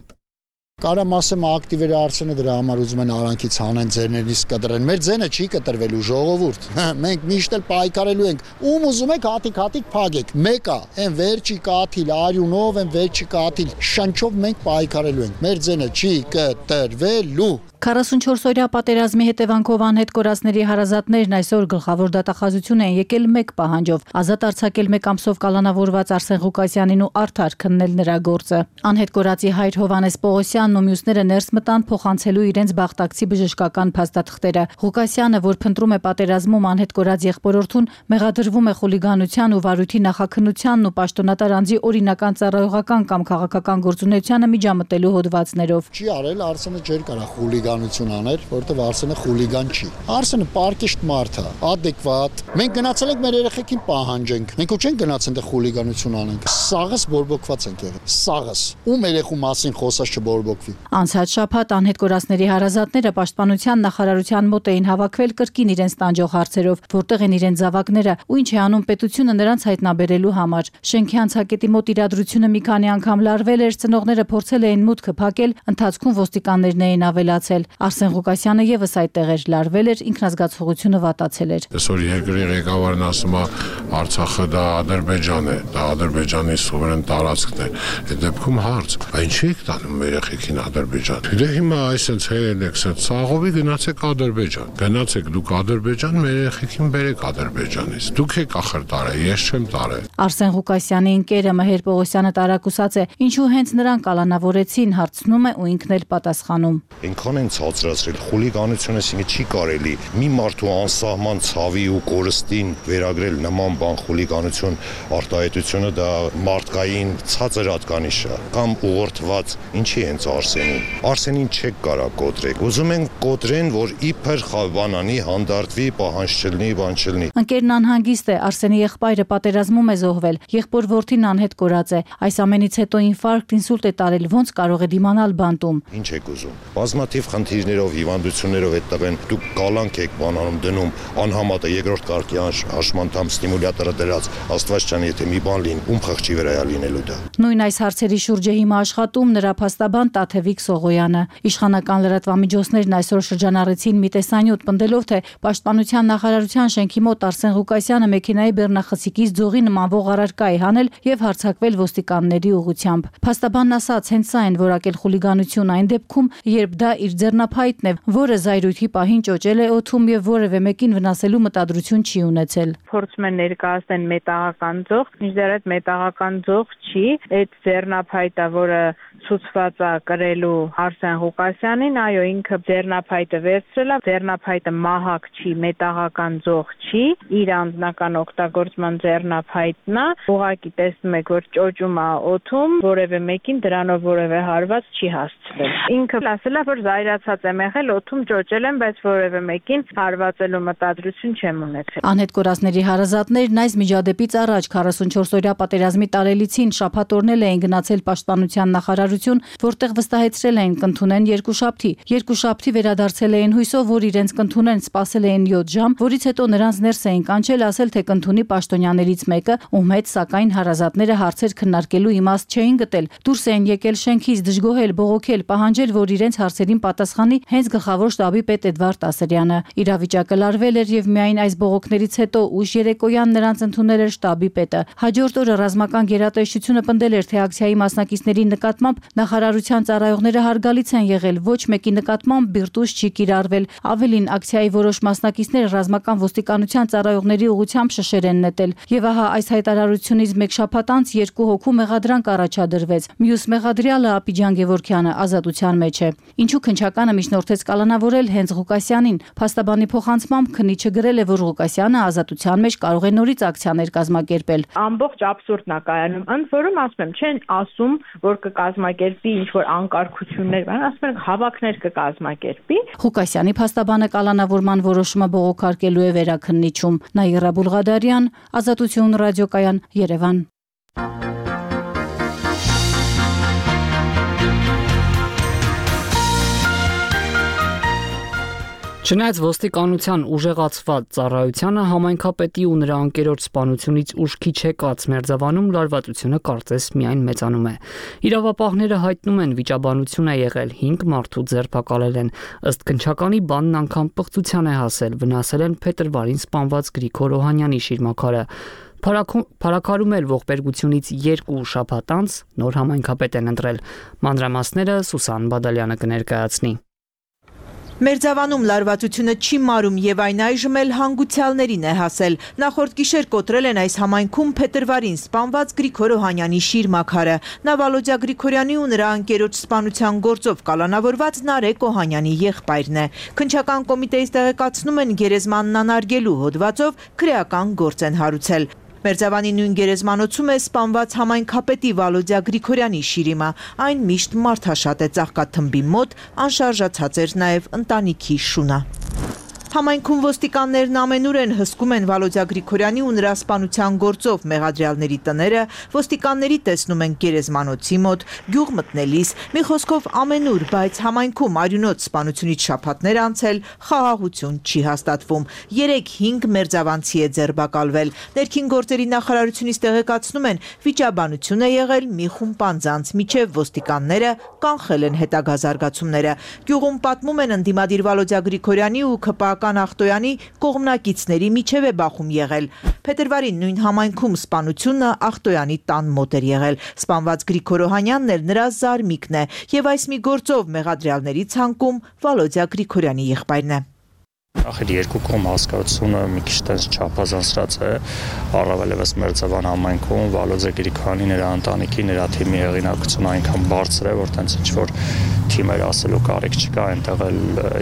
Կարամ ասեմ ակտիվերը Արսենը դրա համար ուզում են արանքից հանեն, ձերներից կտրեն։ Մեր ձենը չի կտրվելու, ժողովուրդ։ Մենք միշտ էլ պայքարելու ենք։ Ում ուզում եք հատիկ փագեք։ Մեկա, այն վերջի կաթիլ, արյունով, այն վերջի կաթիլ, շնչով մենք պայքարելու ենք։ Մեր ձենը չի կտրվելու։ 44-օրյա պատերազմի հետևանքով անհետ կորածների հարազատներն այսօր գլխավոր դատախազություն են եկել մեկ պահանջով՝ ազատ արձակել մեկ ամսով կալանավորված Արսեն Ղուկասյանին ու արդար քննել նրա գործը։ Անհետ կորածի հայր Հովհաննես Պողոսյանն ու մյուսները ներս մտան փոխանցելու իրենց բախտակցի բժշկական փաստաթղթերը։ Ղուկասյանը, որ փնտրում է պատերազմում անհետ կորած եղբորորդուն, մեղադրվում է խուլիգանության ու վարույթի նախաքննությանն ու պաշտոնատար անձի օրինական ծառայողական կամ քաղաքական գործունեությանը միջամտելու հոդվածներով։ Չի արել, Արսենը չէր կարող խուլիգանություն աներ, որովհետև Արսենը խուլիգան չի։ Արսենը պարկիշտ մարդ է, ադեկվատ։ Մենք գնացել ենք մեր երեխեքին պահանջենք։ Մենք ու չենք գնացել այնտեղ խուլիգանություն անենք։ Սաղս բորբոքված ենք եղել։ Սաղս։ Ում երեխու մասին խոսած չբորբոքվի։ Անցած շաբաթ անհետ կորածների հարազատները պաշտպանության նախարարության մոտ էին հավաքվել կրկին իրենց տանջող հարցերով, որտեղ են իրենց զավակները ու ինչ է անում պետությունը նրանց հայտնաբերելու համար։ Շենքի անցակետի մոտ իրադրությունը մի քանի անգամ լարվել էր, ծնողները փորձել էին մուտքը փակել, ընթացքում ոստիկաններն էին ավելացել։ Արսեն Ղուկասյանը եւս այդտեղ էր, լարվել էր, ինքնազգացողությունը վատացել էր։ Այսօր երկրի ղեկավարն ասում է Արցախը դա Ադրբեջան է, դա Ադրբեջանի սուվերեն տարածքն է։ Այդ դեպքում հարց, ինչի՞ եք տանում երեխեքին Ադրբեջան։ Դե հիմա այսպես հերել եք, ցաղովի գնացեք Ադրբեջան։ Գնացեք դուք Ադրբեջան, մեր երեխեքին բերեք Ադրբեջանից։ Դուք եք ախր տարել, ես չեմ տարել։ Արսեն Ղուկասյանի ընկերը Մհեր Պողոսյանը տարակուսած է, ինչու հենց նրան կալանավորեցին, հարցնում է ու ինքն էլ պատասխանում։ Այնքան են ցածրացրել խուլիգանությունը, ասինքն չի կարելի մի մարդու անսահման ցավի ու կորստին վերագրել նման բան խուլիգանություն, արտահայտությունը դա մարդկային ցածր հատկանիշ է կամ ուղղորդված, ինչի հենց Արսենին չեք կարա կոտրեք։ Ուզում են կոտրեն, որ իբր խավանանի հանդարտվի, պահանջ չլինի, բան չլինի։ Ընկերն անհանգիստ է, Արսենի եղբայրը պատերազմում է զոհվել, եղբոր որդին անհետ կորած է։ Այս ամենից հետո ինֆարկտ, ինսուլտ է տարել, ոնց կարող է դիմանալ բանտում։ Ինչ եք ուզում։ Բազմաթիվ խնդիրներով, հիվանդություններով այդ տղեն դուք կալանք եք բանանում դնում, անհամատը երկրորդ կարգի հաշմանդամ ստիմուլյատորը դրած, Աստված ջան, եթե մի բան լինի, ում խղճի վրա է լինելու դա։ Նույն այս հարցերի շուրջ է հիմա աշխատում նրա փաստաբան Տաթևիկ Սողոյանը։ Իշխանական լրատվամիջոցներն այսօր շրջանառեցին մի տեսանյութ, պնդելով, թե Պաշտպանության նախարարության շենքի մոտ Արսեն Ղուկասյանը մեքենայի բեռնախցիկից ձողի նմանվող առարկա է հանել եւ հարձակվել ոստիկանների ուղղությամբ։ Փաստաբանն ասաց, հենց սա են որակել խուլիգանություն այն դեպքում, երբ դա իր ձեռնափայտն է, որը զայրույթի պահին ճոճել է օդում եւ որևէ մեկին վնասելու մտադրություն չի ունեցել։ Փորձում են ներկայացնել մետաղական ձող, մինչդեռ այդ մետաղական ձող չի, այդ ձեռնափայտը, որը ցուցված է կրելու Արսեն Ղուկասյանին, այո, ինքը ձեռնափայտը վերցրել է, ձեռնափայտը մահակ չի, մետաղական ձող չի, իր անձնական օգտագործման ձեռնափայտն է, ուղղակի տեսնում եք, որ ճոճում է օդում, որևէ մեկին դրանով որևէ հարված չի հասցվել։ Ինքը ասել է, որ զայրացած եմ եղել, օդում ճոճել եմ, բայց որևէ մեկին հարվածելու մտադրություն չեմ ունեցել։ Անհետ կորածների հարազատներն այս միջադեպից առաջ 44-օրյա պատերազմի տարելիցին շաբաթ օրնել էին գնացել Պաշտպանության նախարարություն, որտեղ վստահեցրել էին կընդունեն երկուշաբթի վերադարձել էին հույսով, որ իրենց կընդունեն, սպասել էին 7 ժամ, որից հետո նրանց ներս էին կանչել, ասել, թե կընդունի պաշտոնյաներից մեկը, ում հետ սակայն հարազատները հարցեր քննարկելու իմաստ չէին գտել։ Դուրս էին եկել շենքից, դժգոհել, բողոքել, պահանջել, որ իրենց հարցերին պատասխանի հենց գլխավոր շտաբի պետ Էդվարդ Ասրյանը։ Իրավիճակը լարվել էր եւ միայն այս բողոքներից հետո ուշ երեկոյան նրանց ընդունել էր շտաբի պետը։ Հաջորդ օրը ռազմական գերատեսչությունը պնդել էր, թե ակցիայի մասնակիցների նկատմամբ նախարարության ծառայողները հարգալից են եղել, ոչ մեկի նկատմամբ բիրտուժ չի կիրառվել։ Ավելին, ակցիայի որոշ մասնակիցներ ռազմական ոստիկանության ծառայողների ուղղությամբ շշեր են նետել։ Եվ ահա այս հայտարարությունից մեկ շաբաթ անց 2 հոգու մեղադրանք առաջադրվեց։ Մյուս մեղադրյալը Աբիջան Գևորգյանը ազատության մեջ է։ Ինչու քննչականը միջնորդեց կալանավորել հենց Ղուկասյանին։ Փաստաբանի փոխանցմամբ քննիչը գրել է, որ Ղուկասյանը ազատության մեջ կարող է նորից ակցիաներ կազմակերպել։ Ամբողջ աբսուրդն է կայանում։ Ընդ որում ասում եմ, չեն ասում, որ կկազմակերպի ինչ-որ անկարգություններ, ասում են հավաքներ կկազմակերպի։ Ղուկասյանի փաստաբանը կալանավորման որոշումը բողոքարկելու է վերաքննիչում։ Նաիրա Բուլղադարյան, Ազատություն ռադիոկայան, Երևան։ Չնայած ոստիկանության ուժեղացված ծառայությանը համայնքապետի ու նրա անկերոջ սպանությունից ուշ քիչ եկած Մերձավանում լարվածությունը կարծես միայն մեծանում է։ Իրավապահները հայտնում են, վիճաբանություն է եղել, 5 մարդու ձերբակալել են, ըստ քննչականի բանն անգամ պղծության է հասել, վնասել են փետրվարին սպանված Գրիգոր Օհանյանի շիրմաքարը։ Փարաքարում էլ ողբերգությունից 2 շաբաթ անց նոր համայնքապետ են ընտրել։ Մանրամասները Սուսան Բադալյանը կներկայացնի։ Մերձավանում լարվածությունը չի մարում եւ այն այժմ էլ հանգուցյալներին է հասել։ Նախորդ գիշեր կոտրել են այս համայնքում փետրվարին սպանված Գրիգոր Օհանյանի շիրմաքարը։ Նա Վալոդյա Գրիգորյանի ու նրա ընկերոջ սպանության գործով կալանավորված Նարեկ Օհանյանի եղբայրն է։ Քննչական կոմիտեից տեղեկացնում են գերեզմանն անարգելու հոդվածով քրեական գործ են հարուցել։ Մերձավանի նույն գերեզմանոցում է սպանված համայնքապետի Վալոդյա Գրիգորյանի շիրիմը։ Այն միշտ մարդաշատ է, ծաղկաթմբի մոտ անշարժացած էր նաև ընտանիքի շունը։ Համայնքում ոստիկաններն ամենուր են հսկում են Վալոդյա Գրիգորյանի ու նրա սպանության գործով մեղադրյալների տները, ոստիկանների տեսնում են գերեզմանոցի մոտ, գյուղ մտնելիս, մի խոսքով ամենուր, բայց համայնքում արյունոտ սպանությունից շաբաթներ անցել, խաղաղություն չի հաստատվում։ 3-5 մերձավանցի է ձերբակալվել։ Ներքին գործերի նախարարությունից տեղեկացնում են, վիճաբանություն է եղել մի խումբ անձանց, միջև ոստիկանները կանխել են հետագա զարգացումները։ Գյուղում պատմում են ընդդիմադիր Վալոդյա Գրիգորյանի ու ԿՊԱ Ախտոյանի կողմնակիցների միջև է բախում եղել։ Փետրվարին նույն համայնքում սպանությունը Ախտոյանի տան մոտ էր եղել։ Սպանված Գրիգոր Օհանյանն էլ նրա զարմիկն է եւ այս մի գործով մեղադրյալների ցանկում Վալոդյա Գրիգորյանի եղբայրն է։ Ախր երկու կողմ հասկացությունը մի քիչ տես չափազանցրած է, առավելևս Մերձավան համայնքում Վալոդյա Գրիգորյանի նրա ընտանիքի, նրա թիմի հեղինակությունը այնքան բարձր է, որ տենց ինչ որ թիմեր ասելու կարիք չկա, այնտեղ էլ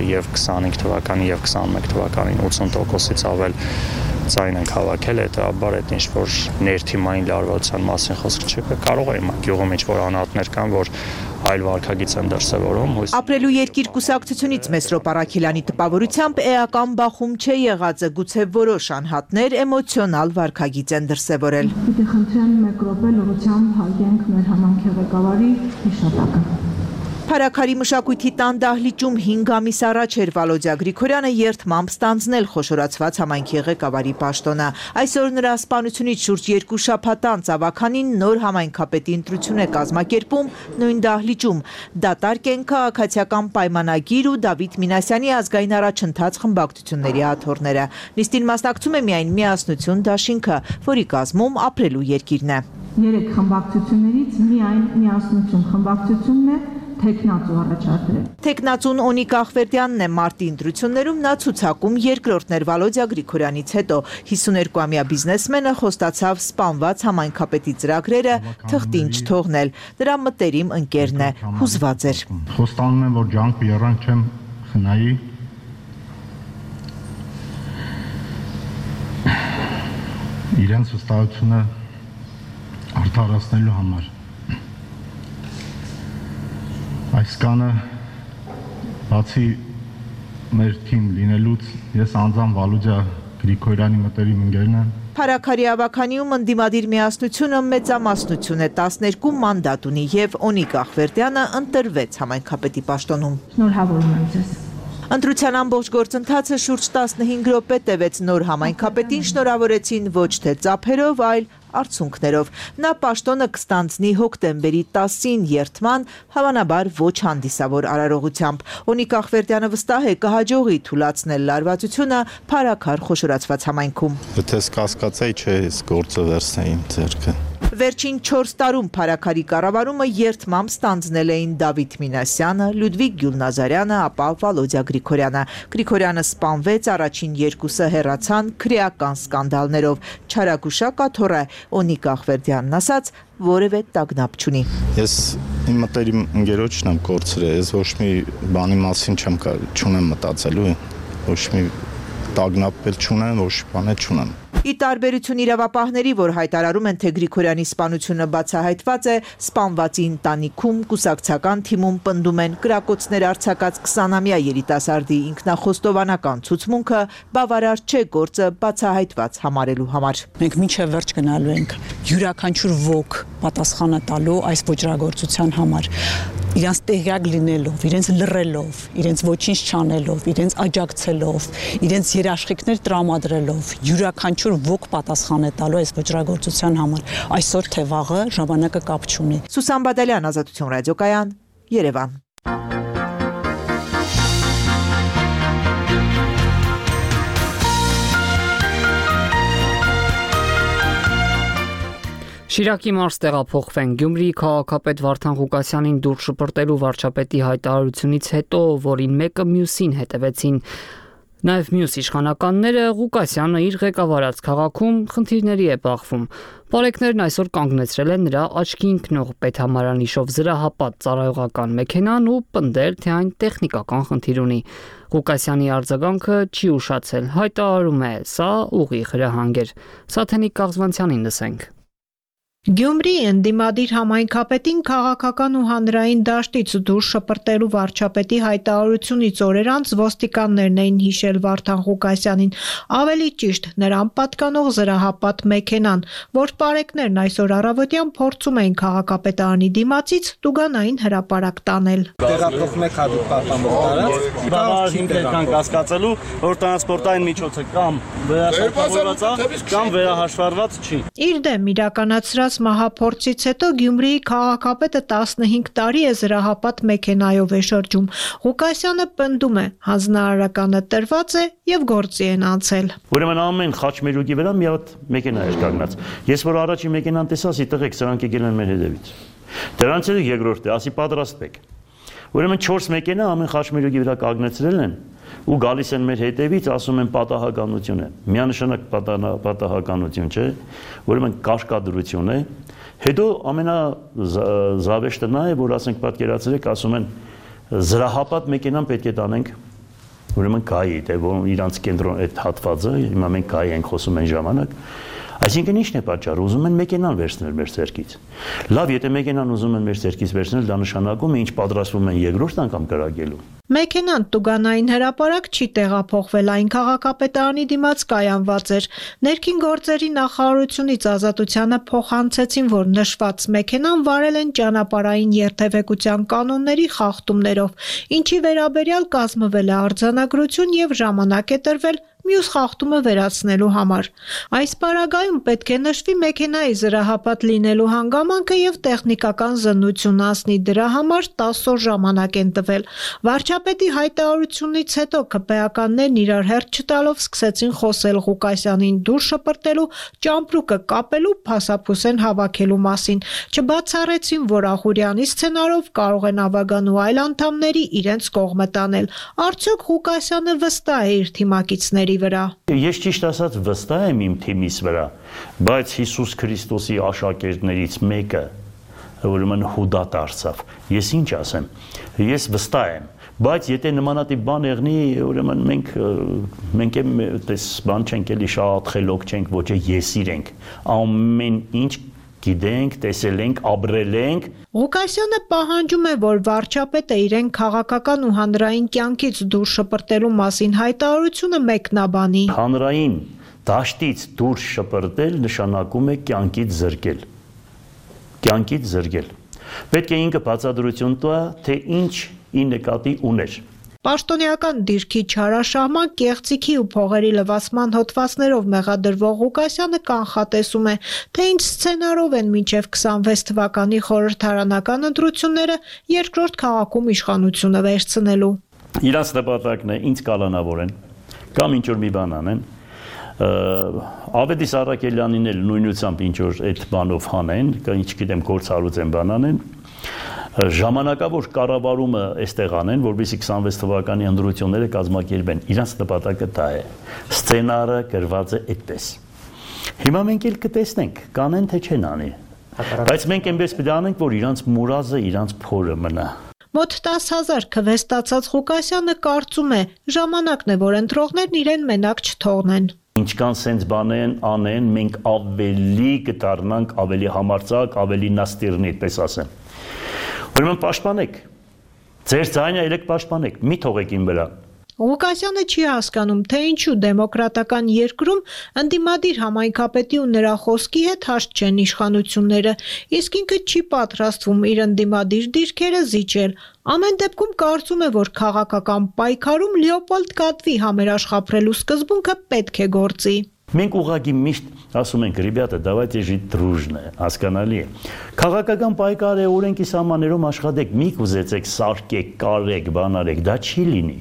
եւ 25 թվականին եւ 21 թվականին 80%-ից ավել ձայն են հավաքել, հետաբար այդ ինչ որ ներթիմային լարվածության մասին խոսք չկա, կարող է գյուղում ինչ որ անհատներ կան, որ այլ վարքագիծ են դրսևորում։ Ապրելու երկիր կուսակցությունից Մեսրոպ Առաքելյանի տպավորությամբ էական բախում չէ եղածը, գուցե որոշ անհատներ էմոցիոնալ վարքագիծ են դրսևորել։ Պիտի խնդրեմ 1 րոպե լրությամբ հարգենք մեր համանքի ղեկավարի հիշատակը։ Փարաքարի մշակույթի տան դահլիճում 5 ամիս առաջ էր Վալոդյա Գրիգորյանը երդմամբ ստանձնել խոշորացված համայնքի ղեկավարի պաշտոնը։ Այսօր նրա սպանությունից շուրջ 2 շաբաթ անց ավականին նոր համայնքապետի ընտրություն է կազմակերպում նույն դահլիճում։ Դատարկ են քաղաքացիական պայմանագիր ու Դավիթ Մինասյանի ազգային առաջընթաց խմբակցությունների աթոռները։ Նիստին մասնակցում է միայն Միասնություն դաշինքը, որի կազմում Ապրելու երկիրն է։ 3 խմբակցություններից միայն Միասնություն խմբակցությունն է Թեկնածու առաջադրել։ Թեկնածուն Օնիկ Ախվերդյանն է մարտի ընտրություններում նա ցուցակում երկրորդներ Վալոդյա Գրիգորյանից հետո 52-ամյա բիզնեսմենը խոստացավ սպանված համայնքապետի ծրագրերը թղթին չթողնել։ Դրա մտերիմ ընկերն է, հուզված էր։ Խոստանում եմ, որ ջանք ու երանգ չեմ խնայի։ Իրենց վստահությունը արդարացնելու համար։ Այս կանը բացի մեր թիմ լինելուց ես անձամբ Վալոդյա Գրիգորյանի մտերիմ ընկերն եմ։ Փարաքարի ավականիում ընդդիմադիր Միասնությունը մեծամասնություն է 12 մանդատ ունի եւ Օնիկ Ախվերդյանը ընտրվեց համայնքապետի պաշտոնում։ Շնորհավորում եմ ձեզ։ Ընտրության ամբողջ գործընթացը շուրջ 15 րոպե տևեց նոր համայնքապետին շնորհավորեցին ոչ թե ծափերով, այլ արդյունքներով։ Նա պաշտոնը կստանձնի հոկտեմբերի 10-ին երթման, հավանաբար ոչ հանդիսավոր արարողությամբ։ Օնիկ Ախվերդյանը վստահ է կհաջողի թուլացնել լարվածությունը Փարաքար խոշորացված համայնքում։ Եթե կասկածեի, չէ, ես գործը վերցնեի ձեռքը։ Վերջին 4 տարում Փարաքարի կառավարումը երթմամբ ստանձնել էին Դավիթ Մինասյանը, Լյուդվիգ Գյուլնազարյանը, ապա Վալոդյա Գրիգորյանը։ Գրիգորյանը սպանվեց, առաջին 2-ը հեռացան քրեական սկանդալներով։ Չարագուշակ աթոռը Օնիկ Ախվերդյանն ասաց, որևէ տագնապ չունի։ Ես իմ մտերիմ ընկերոջն եմ կորցրել, ես ոչ մի բանի մասին չունեմ մտածելու, ոչ մի տագնապ էլ չունեմ, ոչ բան էլ չունեմ։ Ի տարբերություն իրավապահների, որ հայտարարում են, թե Գրիգորյանի սպանությունը բացահայտված է, սպանվածի ընտանիքում կուսակցական թիմում պնդում են կրակոցներ արձակած 20-ամյա երիտասարդի ինքնախոստովանական ցուցմունքը բավարար չէ գործը բացահայտված համարելու համար։ Մենք մինչև վերջ գնալու ենք յուրաքանչյուր ոք պատասխանը տալու այս ոճրագործության համար։ Իրենց տեղյակ լինելով, իրենց լռելով, իրենց ոչինչ չանելով, իրենց աջակցելով, իրենց երաշխիքներ տրամադրելով, յուրաքանչյուր ոք պատասխան է տալու այս ոճրագործության համար։ Այսօր թե վաղը ժամանակը կապ չունի։ Սուսան Բադալյան, Ազատություն ռադիոկայան, Երևան։ Շիրակի մարզ տեղափոխվեն Գյումրիի քաղաքապետ Վարդան Ղուկասյանին դուր շպրտելու վարչապետի հայտարարությունից հետո, որին մեկը մյուսին հետևեցին նաև մյուս իշխանականները, Ղուկասյանը իր ղեկավարած քաղաքում խնդիրների է բախվում։ Պարեկներն այսօր կանգնեցրել են նրա աչքի ընկնող պետհամարանիշով զրահապատ ծառայողական մեքենան ու պնդել, թե այն տեխնիկական խնդիր ունի։ Ղուկասյանի արձագանքը չի ուշացել, հայտարարում է, սա ուղիղ հրահանգ էր։ Սաթենիկ Կաղզվանցյանին լսենք։ Գյումրիի ընդդիմադիր համայնքապետին քաղաքական ու հանրային դաշտից դուրս շպրտելու վարչապետի հայտարարությունից օրեր անց ոստիկաններն էին հիշել Վարդան Ղուկասյանին, ավելի ճիշտ նրան պատկանող զրահապատ մեքենան, որ պարեկներն այսօր առավոտյան փորձում էին քաղաքապետարանի դիմացից տուգանային հրապարակ տանել։ Տեղափոխվեք հատուկ պահպանող տարածք, հիմքեր կան կասկածելու, որ տրանսպորտային միջոցը կամ վերահաշվառված է, կամ վերահաշվառված չի։ Իր դեմ իրականացրած մահափորձից հետո Գյումրիի քաղաքապետը 15 տարի է զրահապատ մեքենայով է շրջում։ Ղուկասյանը պնդում է, հանձնարարականը տրված է եւ գործի են անցել։ Ուրեմն ամեն խաչմերուկի վրա մի հատ մեքենա էր կանգնած։ Ես որ առաջի մեքենան տեսա, ասի տղեկ, սրանք եկել են մեր հետևից։ Դրանց հետո երկրորդը, ասի պատրաստվեք։ Ուրեմն 4 մեքենա ամեն խաչմերուկի վրա կանգնեցրել են ու գալիս են մեր հետևից, ասում են պատահականություն է։ Միանշանակ պատահականություն չէ, ուրեմն կաշկադրություն է։ Հետո ամենազավեշտը նա է, որ ասենք պատկերացրեք, ասում են զրահապատ մեքենան պետք է տանենք, ուրեմն կայի, թե որ իրանց կենտրոն այդ հատվածը, հիմա մենք կայի ենք խոսում այն ժամանակ։ Այսինքն ի՞նչն է պատճառը, ուզում են մեքենան վերցնել մեր ցերկից։ Լավ, եթե մեքենան ուզում են մեր ցերկից վերցնել, դա նշանակում է ինչ պատրաստվում են երկրորդ անգամ կրակելու։ Մեքենան տուգանային հրապարակ չի տեղափոխվել, այն քաղաքապետարանի դիմաց կայանված էր։ Ներքին գործերի նախարարությունից Ազատությանը փոխանցեցին, որ նշված մեքենան վարել են ճանապարհային երթևեկության կանոնների խախտումներով, ինչի վերաբերյալ կազմվել է արձանագրություն եւ ժամանակ է տրվել մյուս խախտումը վերացնելու համար։ Այս պարագայում պետք է նշվի մեքենայի զրահապատ լինելու հանգամանքը եւ տեխնիկական զննություն անցնի, դրա համար 10 օր ժամանակ են տվել։ Վարչապետի հայտարարությունից հետո ԿՊԱ-ականներն իրար հերթ չտալով սկսեցին խոսել Ղուկասյանին դուր շպրտելու, ճամպրուկը կապելու, փասափուսեն հավաքելու մասին։ Չբացառեցին, որ Ախուրյանի սցենարով կարող են Ավագան ու այլ անդամների իրենց կողմը տանել։ Արդյոք Ղուկասյանը վստահ է իր թիմակիցների վրա։ Ես ճիշտ ասած վստահ եմ իմ թիմիս վրա, բայց Հիսուս Քրիստոսի աշակերտներից մեկը ուրեմն Հուդա դարձավ։ Ես ինչ ասեմ։ Ես վստահ եմ, բայց եթե նմանատիպ բան եղնի, ուրեմն մենք էս բան չենք էլի շատ խելոք չենք, ոչ է եսիր ենք։ Ամեն ինչ գիտենք, տեսել ենք, ապրել ենք։ Ղուկասյանը պահանջում է, որ վարչապետը իրեն քաղաքական ու հանրային կյանքից դուրս շպրտելու մասին հայտարարությունը մեկնաբանի։ Հանրային դաշտից դուրս շպրտել նշանակում է կյանքից զրկել։ Կյանքից զրկել։ Պետք է ինքը բացատրություն տա, թե ինչ ի նկատի ուներ։ Պաշտոնեական դիրքի չարաշահման, կեղծիքի ու փողերի լվացման հոդվածներով մեղադրվող Ղուկասյանը կանխատեսում է, թե ինչ սցենարով են մինչև 26 թվականի խորհրդարանական ընտրությունները երկրորդ քաղաքում իշխանությունը վերցնելու։ Իրանց նպատակն է ինձ կալանավորեն կամ ինչ-որ մի բան անեն, Ավետիս Առաքելյանին էլ նույնությամբ ինչ-որ այդ բանով հանեն, ինչ գիտեմ գործառույց են բան անեն, ժամանակավոր կառավարումը այստեղ անեն, որովհետեւ 26 թվականի ընտրությունները կազմակերպեն։ Իրանց նպատակը դա է։ Սցենարը գրված է այդպես։ Հիմա մենք էլ կտեսնենք, կանեն թե չեն անի։ Բայց մենք այնպես պետք է անենք, որ իրանց մուրազը, իրանց փորը մնա։ Մոտ 10,000 քվեստացած Ղուկասյանը կարծում է, ժամանակն է, որ ընտրողներն իրեն մենակ չթողնեն։ Ինչքան սենց բան անեն, մենք ավելի կդառնանք, ավելի համարձակ, ավելի նաստիրնի, այդպես ասեմ։ Ուրեմն պաշտպանեք, ձեր ձայնը ելեք պաշտպանեք, մի թողեք իմ վրա։ Ղուկասյանը չի հասկանում, թե ինչու դեմոկրատական երկրում ընդդիմադիր համայնքապետի ու նրա խոսքի հետ հաշտ չեն իշխանությունները, իսկ ինքը չի պատրաստվում իր ընդդիմադիր դիրքերը զիջել։ Ամեն դեպքում կարծում է, որ քաղաքական պայքարում Լեոպոլդ Կատվի համերաշխափրելու սկզբունքը պետք է գործի։ Մենք ուղղակի միշտ ասում ենք, «Ребята, давайте жить дружно», հասկանալի է։ Քաղաքական պայքար է, օրենքի սահմաններում աշխատեք, մի կուզեցեք սարքեք, կարեք, բանարեք, դա չի լինի։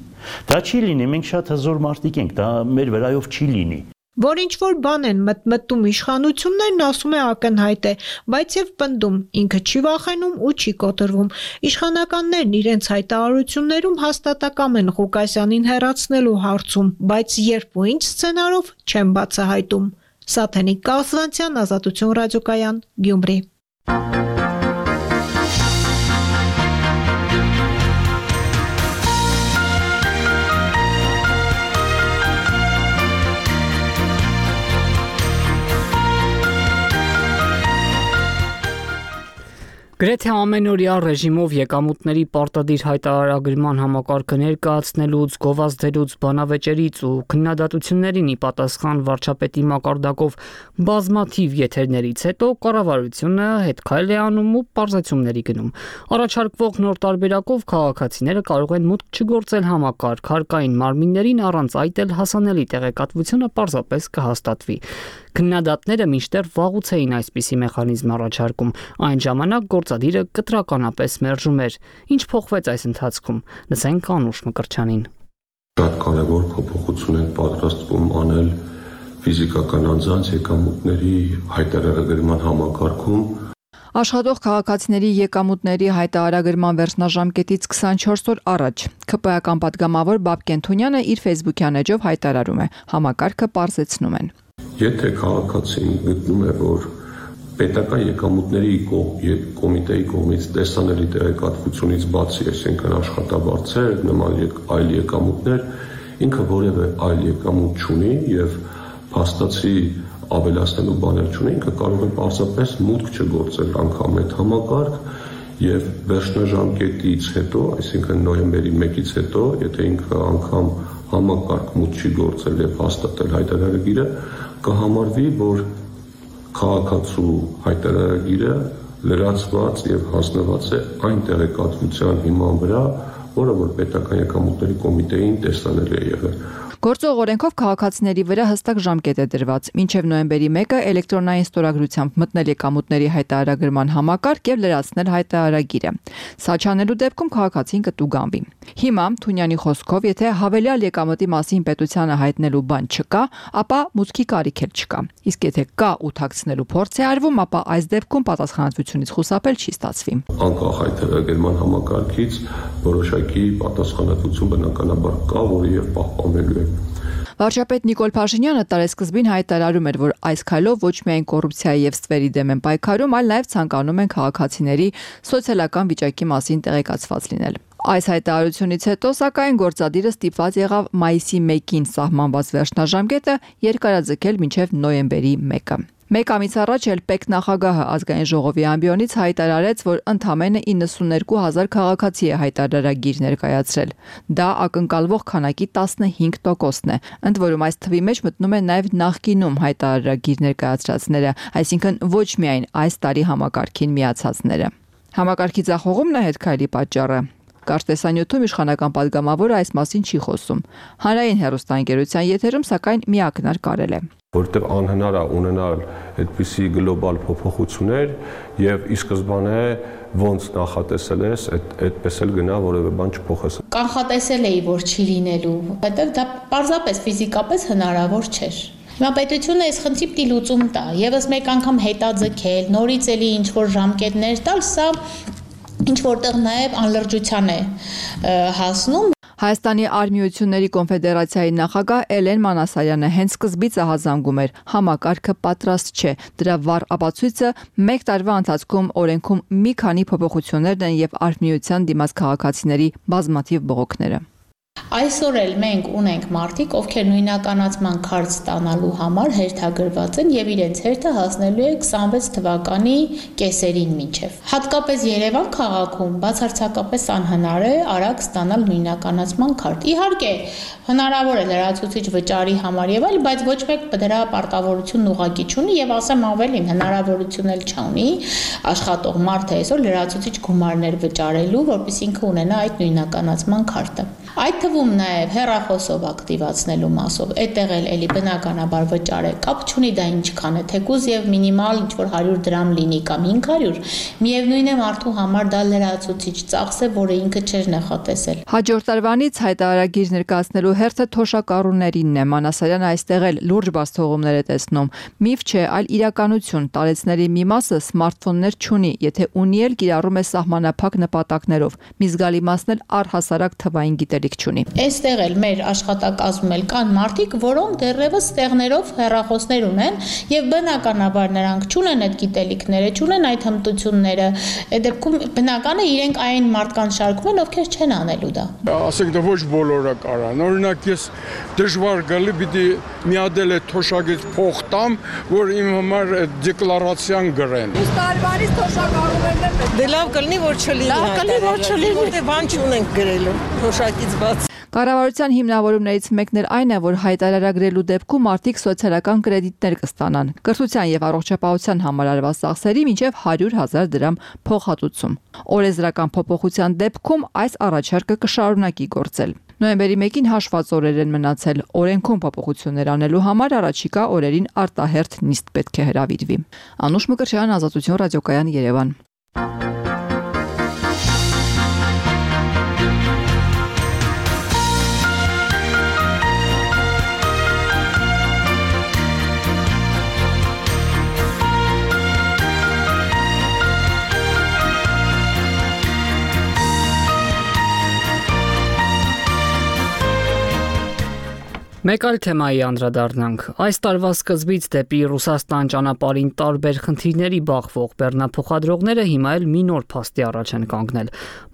Դա չի լինի, մենք շատ հզոր մարդիկ ենք, դա մեր վրայով չի լինի։ Որ ինչ-որ բան են մտմտում իշխանություններն, ասում է, ակնհայտ է, բայց եւ պնդում, ինքը չի վախենում ու չի կոտրվում։ Իշխանականներն իրենց հայտարարություններում հաստատակամ են Ղուկասյանին հեռացնելու հարցում, բայց երբ ու ինչ սցենարով չեն բացահայտում։ Սաթենիկ Կասվանցյան, Ազատություն ռադիոկայան, Գյումրի։ Գրեթե ամենօրյա ռեժիմով եկամուտների պարտադիր հայտարարագրման համակարգը ներկայացնելուց, գովազդելուց, բանավեճերից ու քննադատություններին ի պատասխան վարչապետի մակարդակով բազմաթիվ եթերներից հետո կառավարությունը հետքայլ է անում ու պարզեցումների գնում։ Առաջարկվող նոր տարբերակով քաղաքացիները կարող են մուտք չգործել համակարգ, հարկային մարմիններին, առանց այդ էլ հասանելի տեղեկատվությունը պարզապես կհաստատվի։ Քննադատները մինչդեռ վաղուց էին այսպիսի մեխանիզմ առաջարկում, այն ժամանակ գործադիրը կտրականապես մերժում էր։ Ինչ փոխվեց այս ընթացքում։ Լսենք Անուշ Մկրտչյանին։ Շատ կարևոր փոփոխություն են պատրաստվում անել ֆիզիկական անձանց եկամուտների հայտարարագրման համակարգում։ Աշխատող քաղաքացիների եկամուտների հայտարարագրման վերջնաժամկետից 24 օր առաջ ՔՊ-ական պատգամավոր Բաբկեն Թունյանը իր Facebook-յան էջով հայտարարում է. համակարգը պարզեցնում են։ Եթե քաղաքացին գտնում է, որ պետական եկամուտների կոմիտեի կողմից տեսանելի տեղեկատվությունից բացի, այսինքն աշխատավարձեր, նման այլ եկամուտներ, ինքը որևէ այլ եկամուտ չունի եւ փաստացի ավելացնելու բաներ չունի, ինքը կարող է պարզապես մուտք չգործել անգամ այդ համակարգ եւ վերջնաժամկետից հետո, այսինքն նոյեմբերի 1-ից հետո, եթե ինքը անգամ համակարգ մուտք չի գործել եւ հաստատել հայտարարագիրը, կհամարվի, որ քաղաքացու հայտարարագիրը լրացված եւ հասնված է այն տեղեկատվության հիման վրա, որը որ պետական եկամուտների կոմիտեին տեսանելի է եղել։ Գործող օրենքով քաղաքացիների վրա հստակ ժամկետ է դրված՝ մինչև նոյեմբերի 1-ը էլեկտրոնային ստորագրությամբ մտնել եկամուտների հայտարարագրման համակարգ եւ լրացնել հայտարարագիրը։ Սա չանելու դեպքում քաղաքացին կտուգանվի։ Հիմա Թունյանի խոսքով, եթե հավելյալ եկամուտի մասին պետությանը հայտնելու բան չկա, ապա մուտքի կարիք էլ չկա։ Իսկ եթե կա ու թաքցնելու փորձ է արվում, ապա այս դեպքում պատասխանատվությունից խուսափել չի ստացվի։ Անկախ հայտարարագրման համակարգից որոշակի պատասխանատվություն բնականաբար կա, որը եւ պահպանվելու է։ Վարչապետ Նիկոլ Փաշինյանը տարեսկզբին հայտարարում էր, որ այս քայլով ոչ միայն կոռուպցիայի եւ ստվերի դեմ են պայքարում, այլ նաեւ ցանկանում են քաղաքացիների սոցիալական վիճակի մասին տեղեկացված լինել։ Այս հայտարարությունից հետո, սակայն, գործադիրը ստիպված եղավ մայիսի 1-ին սահմանված վերջնաժամկետը երկարաձգել մինչև նոյեմբերի 1-ը։ Մեկ ամիս առաջ էլ ՊԵԿ նախագահը ազգային ժողովի ամբիոնից հայտարարեց, որ ընդամենը 92,000 քաղաքացի է հայտարարագիր ներկայացրել։ Դա ակնկալվող քանակի 15%-ն է։ Ընդ որում այս թվի մեջ մտնում է նաև նախկինում հայտարարագիր ներկայացրածները, այսինքն ոչ միայն այս տարի համակարգին միացածները։ Համակարգի ձախողումն է հետքայլի պատճառը։ Կարծտեսանյութում իշխանական պատգամավորը այս մասին չի խոսում։ Հանրային հեռուստաընկերության եթերում սակայն միակնար կարել է։ Որտեղ անհնար է ունենալ այդպիսի գլոբալ փոփոխություններ եւ ի սկզբանե ոնց նախատեսել ես, այդպես էլ գնա որևէ բան չփոխես։ Կանխատեսել էի, որ չի լինելու, հետո դա պարզապես ֆիզիկապես հնարավոր չէր։ Հիմա պետությունը այս խնդրի պիտի լուծում տա, եւս մեկ անգամ հետաձգել, նորից էլի ինչ-որ ժամկետներ տալ, սա ինչ որտեղ նաև անլրջության է հասնում։ Հայաստանի Արմիությունների կոնֆեդերացիայի նախագահ Էլեն Մանասարյանը հենց սկզբից ահազանգում էր, համակարգը պատրաստ չէ։ Դրա վառ ապացույցը մեկ տարվա ընթացքում օրենքում մի քանի փոփոխություններն են եւ Արմիության դիմաց քաղաքացիների բազմաթիվ բողոքները։ Այսօր էլ մենք ունենք մարդիկ, ովքեր նույնականացման քարտ ստանալու համար հերթագրված են եւ իրենց հերթը հասնելու է 26 թվականի կեսերին մինչեւ։ Հատկապես Երևան քաղաքում բացարձակապես անհնար է արագ ստանալ նույնականացման քարտ։ Իհարկե, հնարավոր է լրացուցիչ վճարի համար եւ այլ, բայց ոչ մեկ դրա պարտավորությունն ուղղակի չունի եւ ասեմ ավելին, հնարավորություն էլ չունի աշխատող մարդը այսօր լրացուցիչ գումարներ վճարելու, որպեսզի ինքը ունենա այդ նույնականացման քարտը։ Այդ թվում նաև հեռախոսով ակտիվացնելու մասով, այդտեղ էլի բնականաբար վճար է, կապ չունի դա ինչքան է, թեկուզ եւ մինիմալ ինչ-որ 100 դրամ լինի կամ 500, միևնույն է մարդու համար դա լրացուցիչ ծախս է, որը ինքը չէր նախատեսել։ Հաջորդ տարվանից հայտարարագիր ներկայացնելու հերթը թոշակառուներինն է, Մանասարյանը այստեղ էլ լուրջ բացթողումներ է տեսնում։ Միֆ չէ, այլ իրականություն, տարեցների մի մասը սմարթֆոններ չունի, եթե ունի էլ կիրառում է սահմանափակ նպատակներով, մի զգալի մասն էլ առհասարակ թվային գիտելիք չունի։ Այստեղ էլ մեր աշխատակազմում էլ կան մարդիկ, որոնք դեռևս տեղներով հեռախոսներ ունեն եւ բնականաբար նրանք չունեն այդ գիտելիքները, չունեն այդ հմտությունները։ Այդ դեպքում բնական է իրենք այն մարդկանց շարքում են, ովքեր չեն անելու դա։ Ասենք դա ոչ բոլորը կարան։ Օրինակ ես դժվար գալի պիտի մի հատ էլ թոշակից փող տամ, որ իմ համար դեկլարացիան գրեն։ Իսկ տարվանից թոշակառուներն են։ Դե լավ կլինի, որ չլինի։ Լավ կլինի, որ չլինի, որտեղ բան չունենք գրելու թոշակից բաց։ Կառավարության հիմնավորումներից մեկն էլ այն է, որ հայտարարագրելու դեպքում մարդիկ սոցիալական կրեդիտներ կստանան, կրթության եւ առողջապահության համար արված ծախսերի մինչեւ 100,000 դրամ փոխհատուցում։ Օրենսդրական փոփոխության դեպքում այս առաջարկը կշարունակի գործել։ Նոյեմբերի 1-ին հաշված օրեր են մնացել։ Օրենքում փոփոխություններ անելու համար առաջիկա օրերին արտահերթ նիստ պետք է հրավիրվի։ Անուշ Մկրտչյան, Ազատություն ռադիոկայան, Երևան։ Մեկ այլ թեմայի անդրադառնանք։ Այս տարվա սկզբից դեպի Ռուսաստան ճանապարհին տարբեր խնդիրների բախվող բեռնափոխադրողները հիմա էլ մի նոր փաստի առաջ են կանգնել։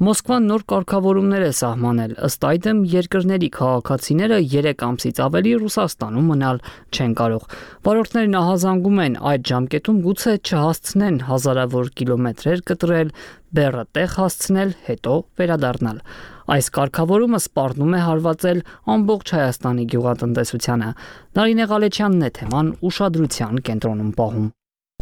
Մոսկվան նոր կարգավորումներ է սահմանել, ըստ այդմ երկրների քաղաքացիները 3 ամսից ավելի Ռուսաստանում մնալ չեն կարող։ Վարորդներն ահազանգում են այդ ժամկետում գուցե չհասցնեն հազարավոր կիլոմետրեր կտրել, բեռը տեղ հասցնել, հետո վերադառնալ։ Այս կարգավորումը սպառնում է հարվածել ամբողջ Հայաստանի գյուղատնտեսությանը։ Նարինե Ղալեչյանն է թեման ուշադրության կենտրոնում պահում։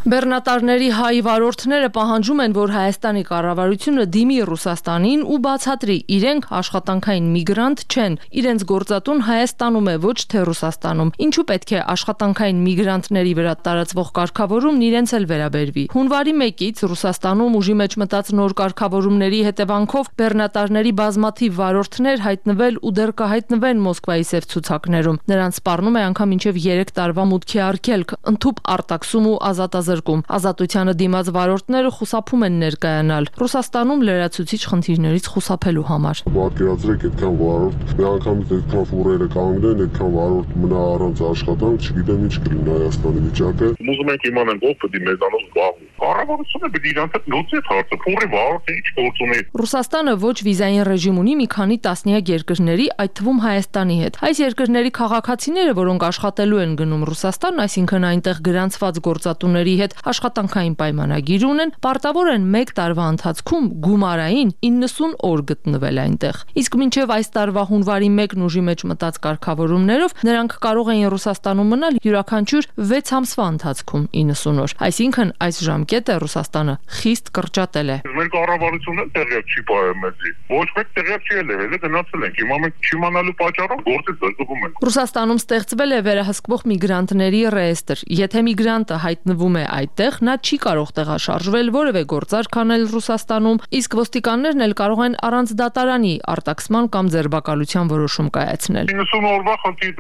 Բեռնատարների հայ վարորդները պահանջում են, որ Հայաստանի կառավարությունը դիմի Ռուսաստանին ու բացատրի, իրենք աշխատանքային միգրանտ չեն, իրենց գործատուն Հայաստանում է, ոչ թե Ռուսաստանում։ Ինչու պետք է աշխատանքային միգրանտների վրա տարածվող կարգավորումն իրենց էլ վերաբերվի։ Հունվարի 1-ից Ռուսաստանում ուժի մեջ մտած նոր կարգավորումների հետևանքով բեռնատարների բազմաթիվ վարորդներ հայտնվել ու դեռ կհայտնվեն Մոսկվայի սև ցուցակներում։ Նրանց սպառնում է անգամ մինչև 3 տարվա մուտքի արգելք, ընդհուպ արտաքսում ու ազատազրկում։ Ազատությանը դիմաց վարորդները խուսափում են ներկայանալ Ռուսաստանում լրացուցիչ խնդիրներից խուսափելու համար։ Պատկերացրեք, այդքան վարորդ, միանգամից այդքան ֆուրերը կանգնեն, այդքան վարորդ մնա առանց աշխատանք, չգիտեմ ինչ կլինի Հայաստանի վիճակը։ Ուզում ենք իմանալ ով պետք է մեզանով զբաղվի։ Կառավարությունը պետք է իրանց հետ լուծի այդ հարցը, ֆուրի վարորդը ինչ գործ ունի։ Ռուսաստանը ոչ վիզային ռեժիմ ունի մի քանի տասնյակ երկրների, այդ թվում Հայաստանի հետ։ Այս երկրների քաղաքացիները, որոնք աշխատելու են գնում Ռուսաստան, այսինքն այնտեղ գրանցված գործատուների հետ աշխատանքային պայմանագիր ունեն, պարտավոր են 1 տարվա ընթացքում գումարային 90 օր գտնվել այնտեղ։ Իսկ մինչև այս տարվա հունվարի 1-ն ուժի մեջ մտած կարգավորումներով նրանք կարող էին Ռուսաստանում մնալ յուրաքանչյուր 6 ամսվա ընթացքում 90 օր։ Այսինքն այս ժամկետը Ռուսաստանը խիստ կրճատել է։ Մեր կառավարությունը տեղյակ չի ողջունում մեզի։ Ոչ մեկ տեղյակ չի եղել, հենց գնացել ենք։ Հիմա մենք չիմանալու պատճառով գործից զրկվում ենք։ Ռուսաստանում ստեղծվել է վերահսկվող միգրանտների ռեեստրը։ Եթե միգրանտը հայտնվում է այդտեղ, նա չի կարող տեղաշարժվել, որևէ գործարք անել Ռուսաստանում, իսկ ոստիկաններն էլ կարող են առանց դատարանի արտաքսման կամ ձերբակալության որոշում կայացնել։ 90 օրվա խնդիր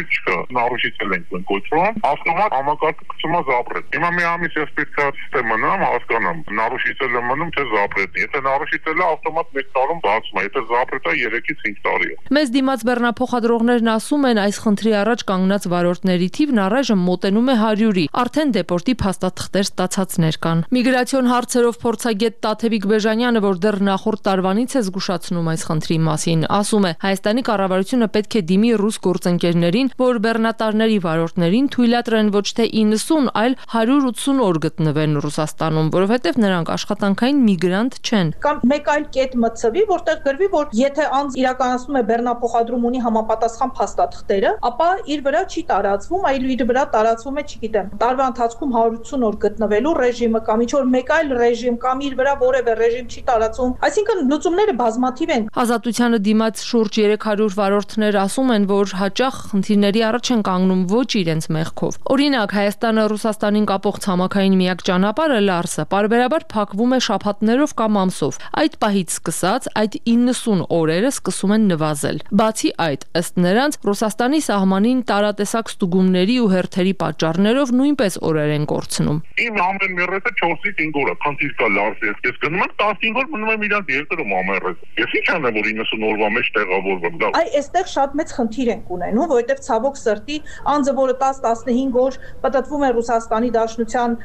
չկա, նարուշիցել ենք կոչվում, ավտոմատ համակարգը գցում է զապրետ։ Հիմա մի ամիս ես պետք է սիստեմը հասկանամ, նարուշիցել եմ մնում թե զապրետն։ Եթե նարուշիցել է, ավտոմատ 1 տարում բացում է, եթե զապրետը 3-ից 5 տարի է։ Մեզ դիմաց բեռնափոխադրողներն ասում են, այս խնդրի առաջ կանգնած վարորդների թիվն առայժմ մոտենում է 100-ի։ Արդեն դեպորտի փաստաթղթեր ստացածներ կան։ Միգրացիոն հարցերով փորձագետ Տաթևիկ Բեժանյանը, որ դեռ նախորդ տարվանից է զգուշացնում այս խնդրի մասին, ասում է, Հայաստանի կառավարությունը պետք է դիմի ռուս գործընկերներին, որ բեռնատարների վարորդներին թույլատրեն ոչ թե 90, այլ 180 օր գտնվեն Ռուսաստանում, որովհետև նրանք աշխատանքային միգրանտ չեն։ Կամ մեկ այլ կետ մտցվի, որտեղ գրվի, որ եթե անձ իրականացնում է բեռնափոխադրում ունի համապատասխան փաստաթղթերը, ապա իր վրա չի տարածվում, այլ իր վրա տարածվում է, չգիտեմ, տարվա ընթացքում 180 հնարավորություն որ գտնվելու ռեժիմը կամ ինչ որ մեկ այլ ռեժիմ կամ իր վրա որևէ ռեժիմ չի տարածում, այսինքն լուծումները բազմաթիվ են։ Ազատությանը դիմաց շուրջ 300 վարորդներ ասում են, որ հաճախ խնդիրների առաջ են կանգնում ոչ իրենց մեղքով։ Օրինակ, Հայաստանը Ռուսաստանին կապող ցամաքային միակ ճանապարհը Լարսը պարբերաբար փակվում է շաբաթներով կամ ամսով։ Այդ պահից սկսած այդ 90 օրերը սկսում են նվազել։ Բացի այդ, ըստ նրանց, Ռուսաստանի սահմանին տարատեսակ ստուգումների ու հերթերի պատճառներով նույնպես օրեր են կորցնում։ Իմ ամեն մեռեսը 4-ից 5 օր է, քանտիր կա Լարսը, ես գնում եմ 15 օր մնում եմ իրանց երկրում ամերես։ Ես ինչ անեմ որ 90 օրվա մեջ տեղավորվեմ դա։ Այ այստեղ շատ մեծ խնդիր ենք ունենում, որովհետև ցավոք սրտի անձը, որը 10-15 օր պատտվում է Ռուսաստանի Դաշնության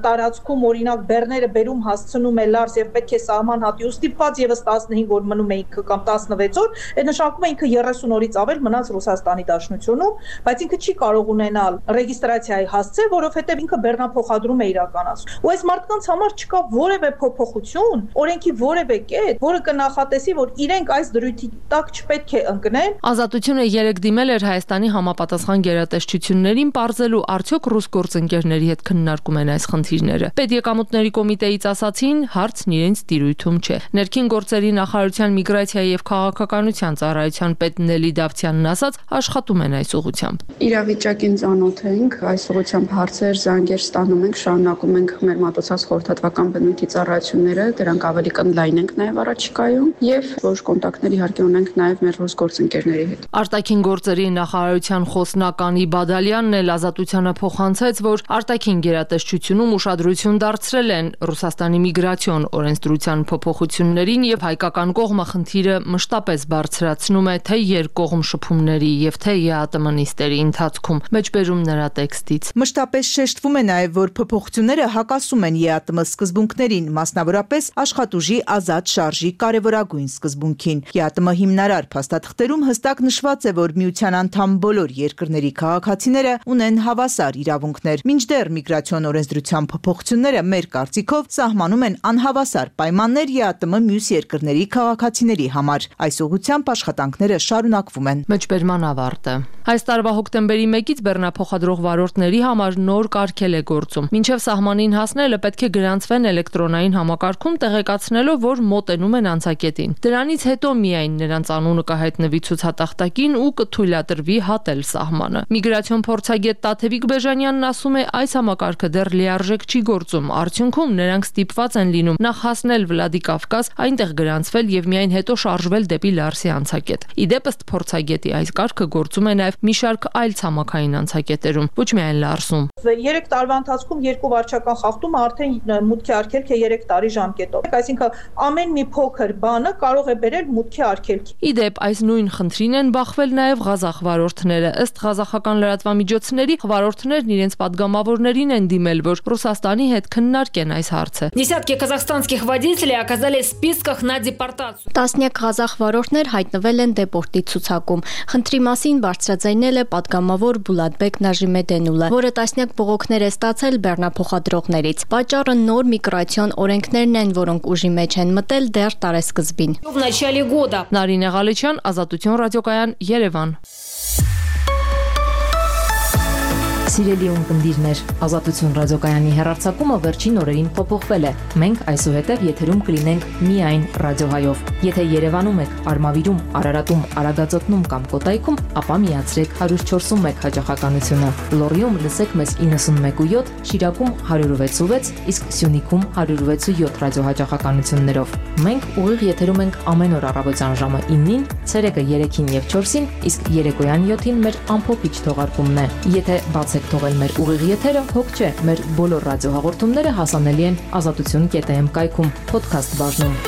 տարածքում, օրինակ բեռները բերում հասցնում է Լարս եւ պետք է սահման հատի ու ստիպված եւս 15 օր մնում է ինքը կամ 16 օր, այդ նշանակում է ինքը 30 օրից ավել մնաց Ռուսաստանի Դաշնությունում, բայց ինքը չի կարող ունենալ ռեգիստրացիայի հասցե, որովհետեւ ինքը բեռնափոխադրում է իրականացնում։ Ու այս մարդկանց համար չկա որևէ փոփոխություն, օրենքի որևէ կետ, որը կնախատեսի, որ իրենք այս դրույթի տակ չպետք է ընկնեն։ Ազատությունը երեք դիմել էր Հայաստանի համապատասխան գերատեսչություններին պարզելու արդյոք ռուս գործընկերների հետ քննարկում են այս խնդիրները։ Պետեկամուտների կոմիտեից ասացին, հարցն իրենց տիրույթում չէ։ Ներքին գործերի նախարարության միգրացիայի եւ քաղաքականության ծառայության պետ Նելի Դավթյանն ասաց, աշխատում են այս ուղղությամբ։ Իրավիճակին ծանոթ ենք, այս ուղղությամբ հարցեր, զանգեր ստանում ենք, շարունակում ենք մեր մատուցած խորհրդատվական բնույթի ծառայությունները, դրանք ավելի կընդլայնենք նաեւ առաջիկայում եւ որ կոնտակտներ իհարկե ունենք նաեւ մեր ռուս գործընկերների հետ։ Արտաքին գործերի նախարարության խոսնակ Անի Բադալյանն էլ Ազատությանը փոխանցեց, որ արտաքին գերատեսչությունում ուշադրություն դարձրել են Ռուսաստանի միգրացիոն օրենսդրության փոփոխություններին եւ հայկական կողմը խնդիրը մշտապես բարձրացնում է թե երկկողմ շփումների եւ թե ԵԱՏՄ նիստերի ընթացքում։ Մեջբերում նրա տեքստից։ Մշտապես շեշտվում է նաեւ, որ փոփոխությունները հակասում են ԵԱՏՄ սկզբունքներին, մասնավորապես աշխատուժի ազատ շարժի կարևորագույն սկզբունքին։ ԵԱՏՄ հիմնարար փաստաթղթերում հստակ նշված է, որ միության անդամ բոլոր երկրների քաղաքացիները ունեն հավասար իրավունքներ, մինչդեռ միգրացիոն օրենսդրության փոփոխությունները մեր կարծիքով սահմանում են անհավասար պայմաններ ԵԱՏՄ մյուս երկրների քաղաքացիների համար։ Այս ուղղությամբ աշխատանքները շարունակվում են։ Մեջբերման ավարտը։ Այս տարվա հոկտեմբերի 1-ից բեռնափոխադրող վարորդների համար նոր կարգել է գործում։ Մինչև սահմանին հասնելը պետք է գրանցվեն էլեկտրոնային համակարգում, տեղեկացնելով, որ մոտենում են անցակետին։ Դրանից հետո միայն նրանց անունը կհայտնվի ցուցատախտակին ու կթույլատրվի հատել սահմանը։ Միգրացիոն փորձագետ Տաթևիկ Բեժանյանն ասում է, այս համակարգը դեռ լիարժեք չի գործում։ Արդյունքում նրանք ստիպված են լինում նախ հասնել Վլադիկավկազ, այնտեղ գրանցվել եւ միայն հետո շարժվել դեպի Լարսի անցակետ։ Իդեպ ըստ փորձագետի այս կարգը գործում է նաեւ մի շարք այլ ցամաքային անցակետերում, ոչ միայն Լարսում։ 3 տարվա ընթացքում 2 վարչական խախտումը արդեն մուտքի արգելք է 3 տարի ժամկետով։ Այսինքն ամեն մի փոքր բանը կարող է բերել մուտքի արգելքի։ Իդեպ այս նույն խնդրին են բախվել նաեւ ղազախ վարորդները։ Ըստ ղազախական լրատվամիջոցների վարորդներն իրենց падգամավորներին են դիմել, որ Ռուսաստանի հետ քննարկեն այս հարցը։ Десятки казахстанских водителей оказались в списках на депортацию։ Տասնյակ ղազախ վարորդներ հայտնվել են դեպորտի ցուցակում։ Խնդրի մասին բարձրաձայնել է падգամավոր Բուլատբեկ Նաժիմեդենուլը, որը տասնյակ բողոքներ է ստացել բեռնափոխադրողներից։ Պատճառը նոր միգրացիոն օրենքներն են, որոնք ուժի մեջ են մտել դեռ տարեսկզբին։ В начале года Նարինե Ղալեչյան, Ազատություն ռադիոկայան, Երևան։ Սիրելի ունկնդիրներ, Ազատություն ռադիոկայանի հեռարձակումը վերջին օրերին փոփոխվել է։ Մենք այսուհետև եթերում կլինենք միայն ռադիոհայով։ Եթե Երևանում եք, Արմավիրում, Արարատում, Արագածոտնում կամ Կոտայքում, ապա միացրեք 104.1 հաճախականությունը։ Լոռիում լսեք մեզ 91.7, Շիրակում 106.6, իսկ Սյունիքում 106.7 ռադիոհաճախականություններով։ Մենք ուղիղ եթերում ենք ամեն օր առավոտյան ժամը 9-ին, ցերեկը 3-ին եւ 4-ին, իսկ երեկոյան 7-ին մեր ամփոփիչ թողարկումն է։ Եթե բացեք թողել մեր ուղիղ եթերը, հոգ չէ, մեր բոլոր ռադիոհաղորդումները հասանելի են azatutun.am կայքում, podcast բաժնում։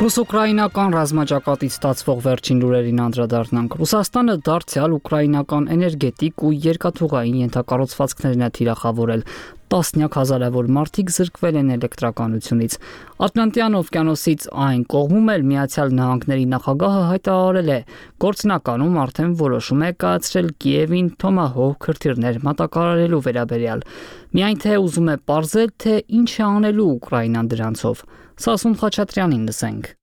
Ռուս-ուկրաինական ռազմաճակատից ստացվող վերջին լուրերին անդրադառնանք։ Ռուսաստանը դարձյալ ուկրաինական էներգետիկ ու երկաթուղային ենթակառուցվածքներն է թիրախավորել։ Տասնյակ հազարավոր մարդիկ զրկվել են էլեկտրականությունից։ Ատլանտյան օվկիանոսից այն կողմում էլ Միացյալ Նահանգների նախագահը հայտարարել է, գործնականում արդեն որոշում է կայացրել Կիևին Թոմահոկ հրթիռներ մատակարարելու վերաբերյալ։ Միայն թե ուզում է պարզել, թե ինչ է անելու Ուկրաինան դրանցով։ Սասուն Խաչատրյանին լսենք։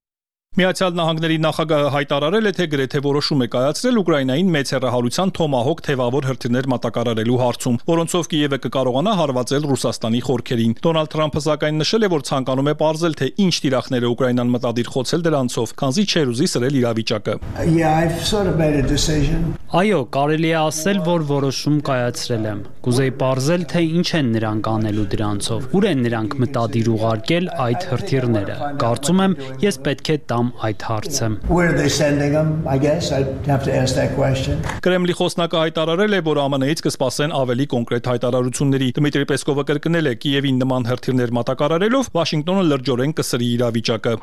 Միացյալ Նահանգների նախագահը հայտարարել է, թե գրեթե որոշում է կայացրել Ուկրաինային մեծ հեռահարության Թոմահոկ թևավոր հրթիռներ մատակարարելու հարցում, որոնցով Կիևը կկարողանա հարվածել Ռուսաստանի խորքերին։ Դոնալդ Թրամփը սակայն նշել է, որ ցանկանում է պարզել, թե ինչ տիրախներ է Ուկրաինան մտադիր խոցել դրանցով, քանզի չէր ուզի սրել իրավիճակը։ Այո, կարելի է ասել, որ որոշում կայացրել եմ։ Կուզեի պարզել, թե ինչ են նրանք անելու դրանցով։ Ուր են նրանք մտադիր ուղարկել այդ հրթիռները։ Կարծում եմ, ես պետք է տամ այդ հարցը։ Կրեմլի խոսնակը հայտարարել է, որ ԱՄՆ-ից կսպասեն ավելի կոնկրետ հայտարարությունների։ Դմիտրի Պեսկովը կրկնել է, Կիևին նման հրթիռներ մատակարարելով Վաշինգտոնը լրջորեն կսրի իրավիճակը։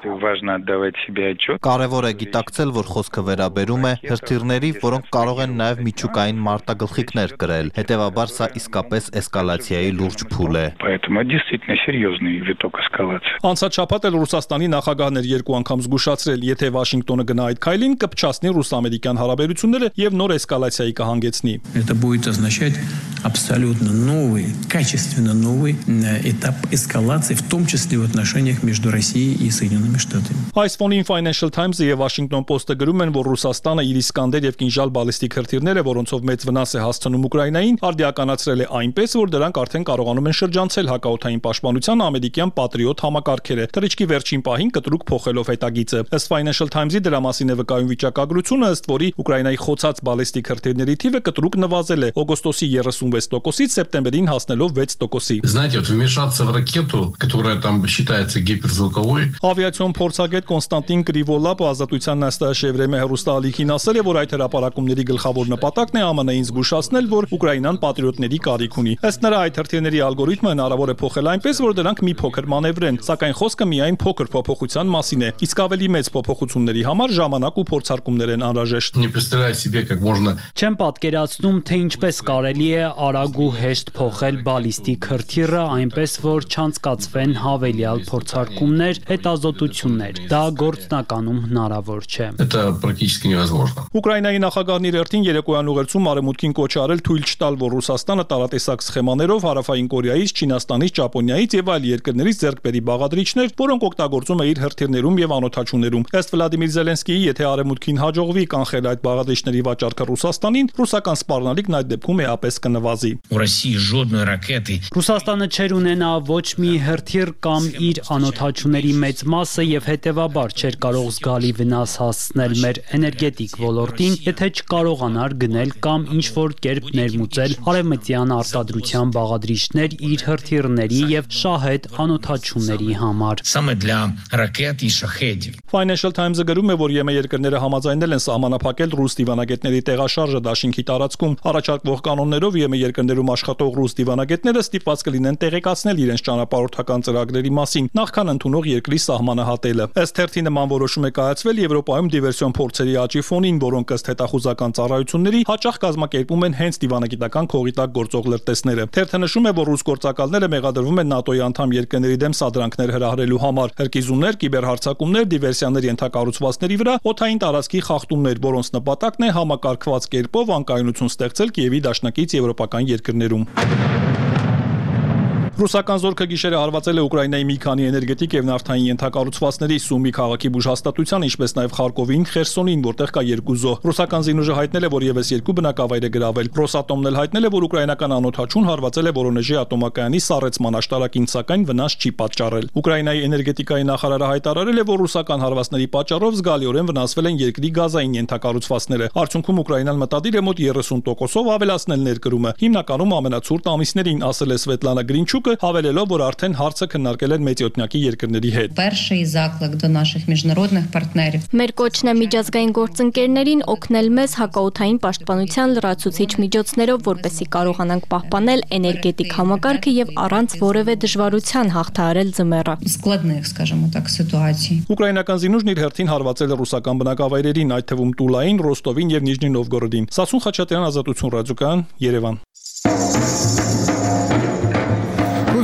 Կարևոր է գիտակցել, որ խոսքը վերաբերում է հրթիռների, որոնք կարող են նաև միջուկային մարտագլխիկներ կրել։ Հետևաբար սա իսկապես էսկալացիայի լուրջ փուլ է։ Անցած շաբաթ էլ Ռուսաստանի նախագահն էր երկու անգամ զգուշացրել, եթե Վաշինգտոնը գնա այդ քայլին, կփչացնի ռուս-ամերիկյան հարաբերությունները եւ նոր էսկալացիայի կհանգեցնի։ Это будет означать абсолютно новый, качественно новый этап эскалации, в том числе в отношениях между Россией и Соединенными Штатами. Այս ֆոնին Financial Times-ը եւ Washington Post-ը գրում են, որ Ռուսաստանը իր Իսկանդեր եւ Կինժալ բալիստիկ հրթիռները, որոնցով մեծ վնաս է հասցնում Ուկրաինային, արդիականացրել է այնպես, որ դրանք արդեն կարողանում են շրջանցել հակաօդային պաշտպանության ամերիկյան Patriot համակարգերը։ Թռիչքի վերջին պահին կտրուկ փոխելով հետագիծը։ Ըստ Financial Times-ի դրա մասին է վկայում վիճակագրությունը, ըստ որի Ուկրաինայի խոցած բալիստիկ հրթիռների թիվը կտրուկ նվազել է օգոստոսի 36%-ից սեպտեմբերին հասնելով 6%-ի։ Знаете, вот вмешаться в ракету, которая там считается гиперзвуковой. Ավիացիոն փորձագետ Կոնստանտին Կրիվոլապը Ազատության նստաշեվրեմե հեռուստաալիքին ասել է, որ այդ հրապարակումների գլխավոր նպատակն է ԱՄՆ-ին զգուշացնել, որ Ուկրաինան պատրիոտների կարիք ունի։ Ըստ նրա, այդ հրթիռների ալգորիթմը հնարավոր է փոխել այնպես, որ դրանք մի փոքր մանևրեն, սակայն խոսքը միայն փոքր փոփոխության մասին է։ Իսկ ավելի մեծ փոփոխությունների համար ժամանակ ու փորձարկումներ են անհրաժեշտ։ Не представляю себе, как можно. Չեմ պատկերացնում, թե ինչպես կարելի է արագ ու հեշտ փոխել բալիստիկ հրթիռը այնպես, որ չանցկացվեն հավելյալ փորձարկումներ, հետազոտություններ։ Դա գործնականում հնարավոր չէ։ Это практически невозможно. Ուկրաինայի նախագահն իր հերթին երեկոյան ուղերձում արևմուտքին կոչ արել թույլ չտալ, որ Ռուսաստանը տարատեսակ սխեմաներով Հարավային Կորեայից, Չինաստանից, Ճապոնիայից եւ այլ երկրներից ձեռք բերի բաղադրիչներ, որոնք օգտագործում է իր հրթիռներում եւ անօդաչուներում։ Ըստ Վլադիմիր Զելենսկիի, եթե արևմուտքին հաջողվի կանխել այդ բաղադրիչների վաճառքը Ռուսաստանին, ռուսական սպառնալիքն այդ դեպքում էապես կնվազի։ Ռուսաստանը չեր ունենա ոչ մի հրթիռ կամ իր անօդաչուների մեծ մասը եւ հետեւաբար չէր կարող զգալի վնաս հասցնել մեր էներգետիկ ոլորտին, եթե չկարողանար գնել կամ ինչ որ կերպ ներմուծել արևմտյան արտադրության բաղադրիչներ իր հրթիռների եւ շահեդ անօդաչուների համար։ Financial Times-ը գրում է, որ ԵՄ երկրները համաձայնել են սահմանափակել ռուս դիվանագետների տեղաշարժը դաշինքի տարածքում։ Առաջարկվող կանոններով ԵՄ երկրներում աշխատող ռուս դիվանագետները ստիպված կլինեն տեղեկացնել իրենց ճանապարհորդական ծրագրերի մասին, նախքան ընդունող երկրի սահմանը հատելը։ Ըստ թերթի նման որոշում է կայացվել Եվրոպայում դիվերսիոն փորձերի աճի ֆոնին, որոնք ըստ հետախուզական ծառայությունների հաճախ կազմակերպում են հենց դիվանագիտական քողի տակ գործող լրտեսները։ Թերթը նշում է, որ ռուս գործակալները մեղադրվում են ՆԱՏՕ-ի անդամ երկրների դեմ սադրանքներ հրահրելու համար, հրկիզումներ, կիբերհարձակումներ, դիվերսիաներ ենթակառուցվածքների վրա, օդային տարածքի խախտումներ, որոնց նպատակն է համակարգված կերպով անկայունություն ստեղծել Կիևի դաշնակից եվրոպական երկրներում։ Ռուսական զորքը գիշերը հարվածել է Ուկրաինայի մի քանի էներգետիկ եւ նավթային ենթակառուցվածքների Սումի քաղաքի բուժհաստատության, ինչպես նաեւ Խարկովին, Խերսոնին, որտեղ կա երկու զոհ։ Ռուսական զինուժը հայտնել է, որ եւս երկու բնակավայր է գրավել։ Ռոսատոմն էլ հայտնել է, որ ուկրաինական անօդաչուն հարվածել է Վորոնեժի ատոմակայանի սառեցման աշտարակին, սակայն վնաս չի պատճառել։ Ուկրաինայի էներգետիկայի նախարարը հայտարարել է, որ ռուսական հարվածների պատճառով զգալիորեն վնասվել են երկրի գազային ենթակառուցվածքները։ Արդյունքում Ուկրաինան մտադիր է մոտ 30%-ով ավելացնել ներկրումը, հիմնականում ամենացուրտ ամիսներին, ասել է Սվետլանա Գրինչուկը, Facebook-ը, հավելելով, որ արդեն հարցը քննարկել են մեծյոթնակի երկրների հետ։ Перший заклик до наших міжнародних партнерів. Մեր կոչն է միջազգային գործընկերներին օգնել մեզ հակաօդային պաշտպանության լրացուցիչ միջոցներով, որպեսզի կարողանանք պահպանել էներգետիկ համակարգը եւ առանց որևէ դժվարության հաղթահարել ձմեռը։ Складних, скажімо так, ситуацій. Ուկրաինական զինուժն իր հերթին հարվածել է ռուսական բնակավայրերին, այդ թվում Տուլային, Ռոստովին եւ Նիժնի Նովգորոդին։ Սասուն Խաչատրյան, Ազատություն ռադիոկայան, Երևան։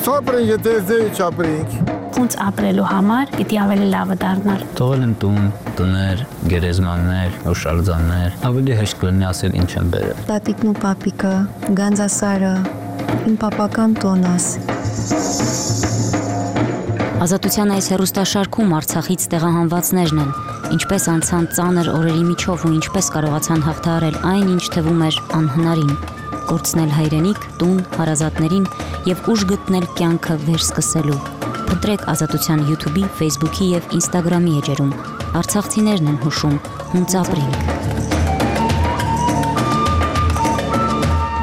Ապրենք, եթե ձեզ չապրենք։ Ոնց ապրելու համար պիտի ավելի լավը դառնար։ Թողել են տուն, տներ, գերեզմաններ, հուշարձաններ, ավելի հեշտ կլինի ասել ինչ են բերել։ Տատիկն ու պապիկը, Գանձասարը, իմ պապական տոնաս։ Ազատության այս հեռուստաշարքում Արցախից տեղահանվածներն են, ինչպես անցան ծանր օրերի միջով ու ինչպես կարողացան հաղթահարել այն, ինչ թվում էր անհնարին, կորցնել հայրենիք, տուն, հարազատներին եւ ուժ գտնել կյանքը վերսկսելու։ Փնտրեք Ազատության YouTube-ի, Facebook-ի եւ Instagram-ի էջերում։ Արցախցիներն են հուշում, հունց ապրենք։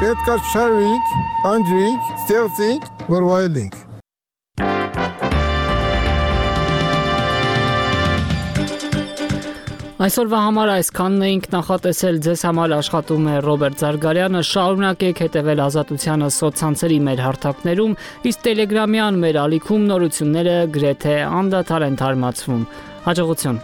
Պետք է շարվենք, անջրենք, ստեղծենք, որ վայելենք։ Այսօրվա համար այսքանն էինք նախատեսել, ձեզ համար աշխատում է Ռոբերտ Զարգարյանը, շարունակեք հետևել Ազատությանը սոցցանցերի մեր հարթակներում, իսկ Տելեգրամյան մեր ալիքում նորությունները գրեթե անդադար են թարմացվում։ Հաջողություն։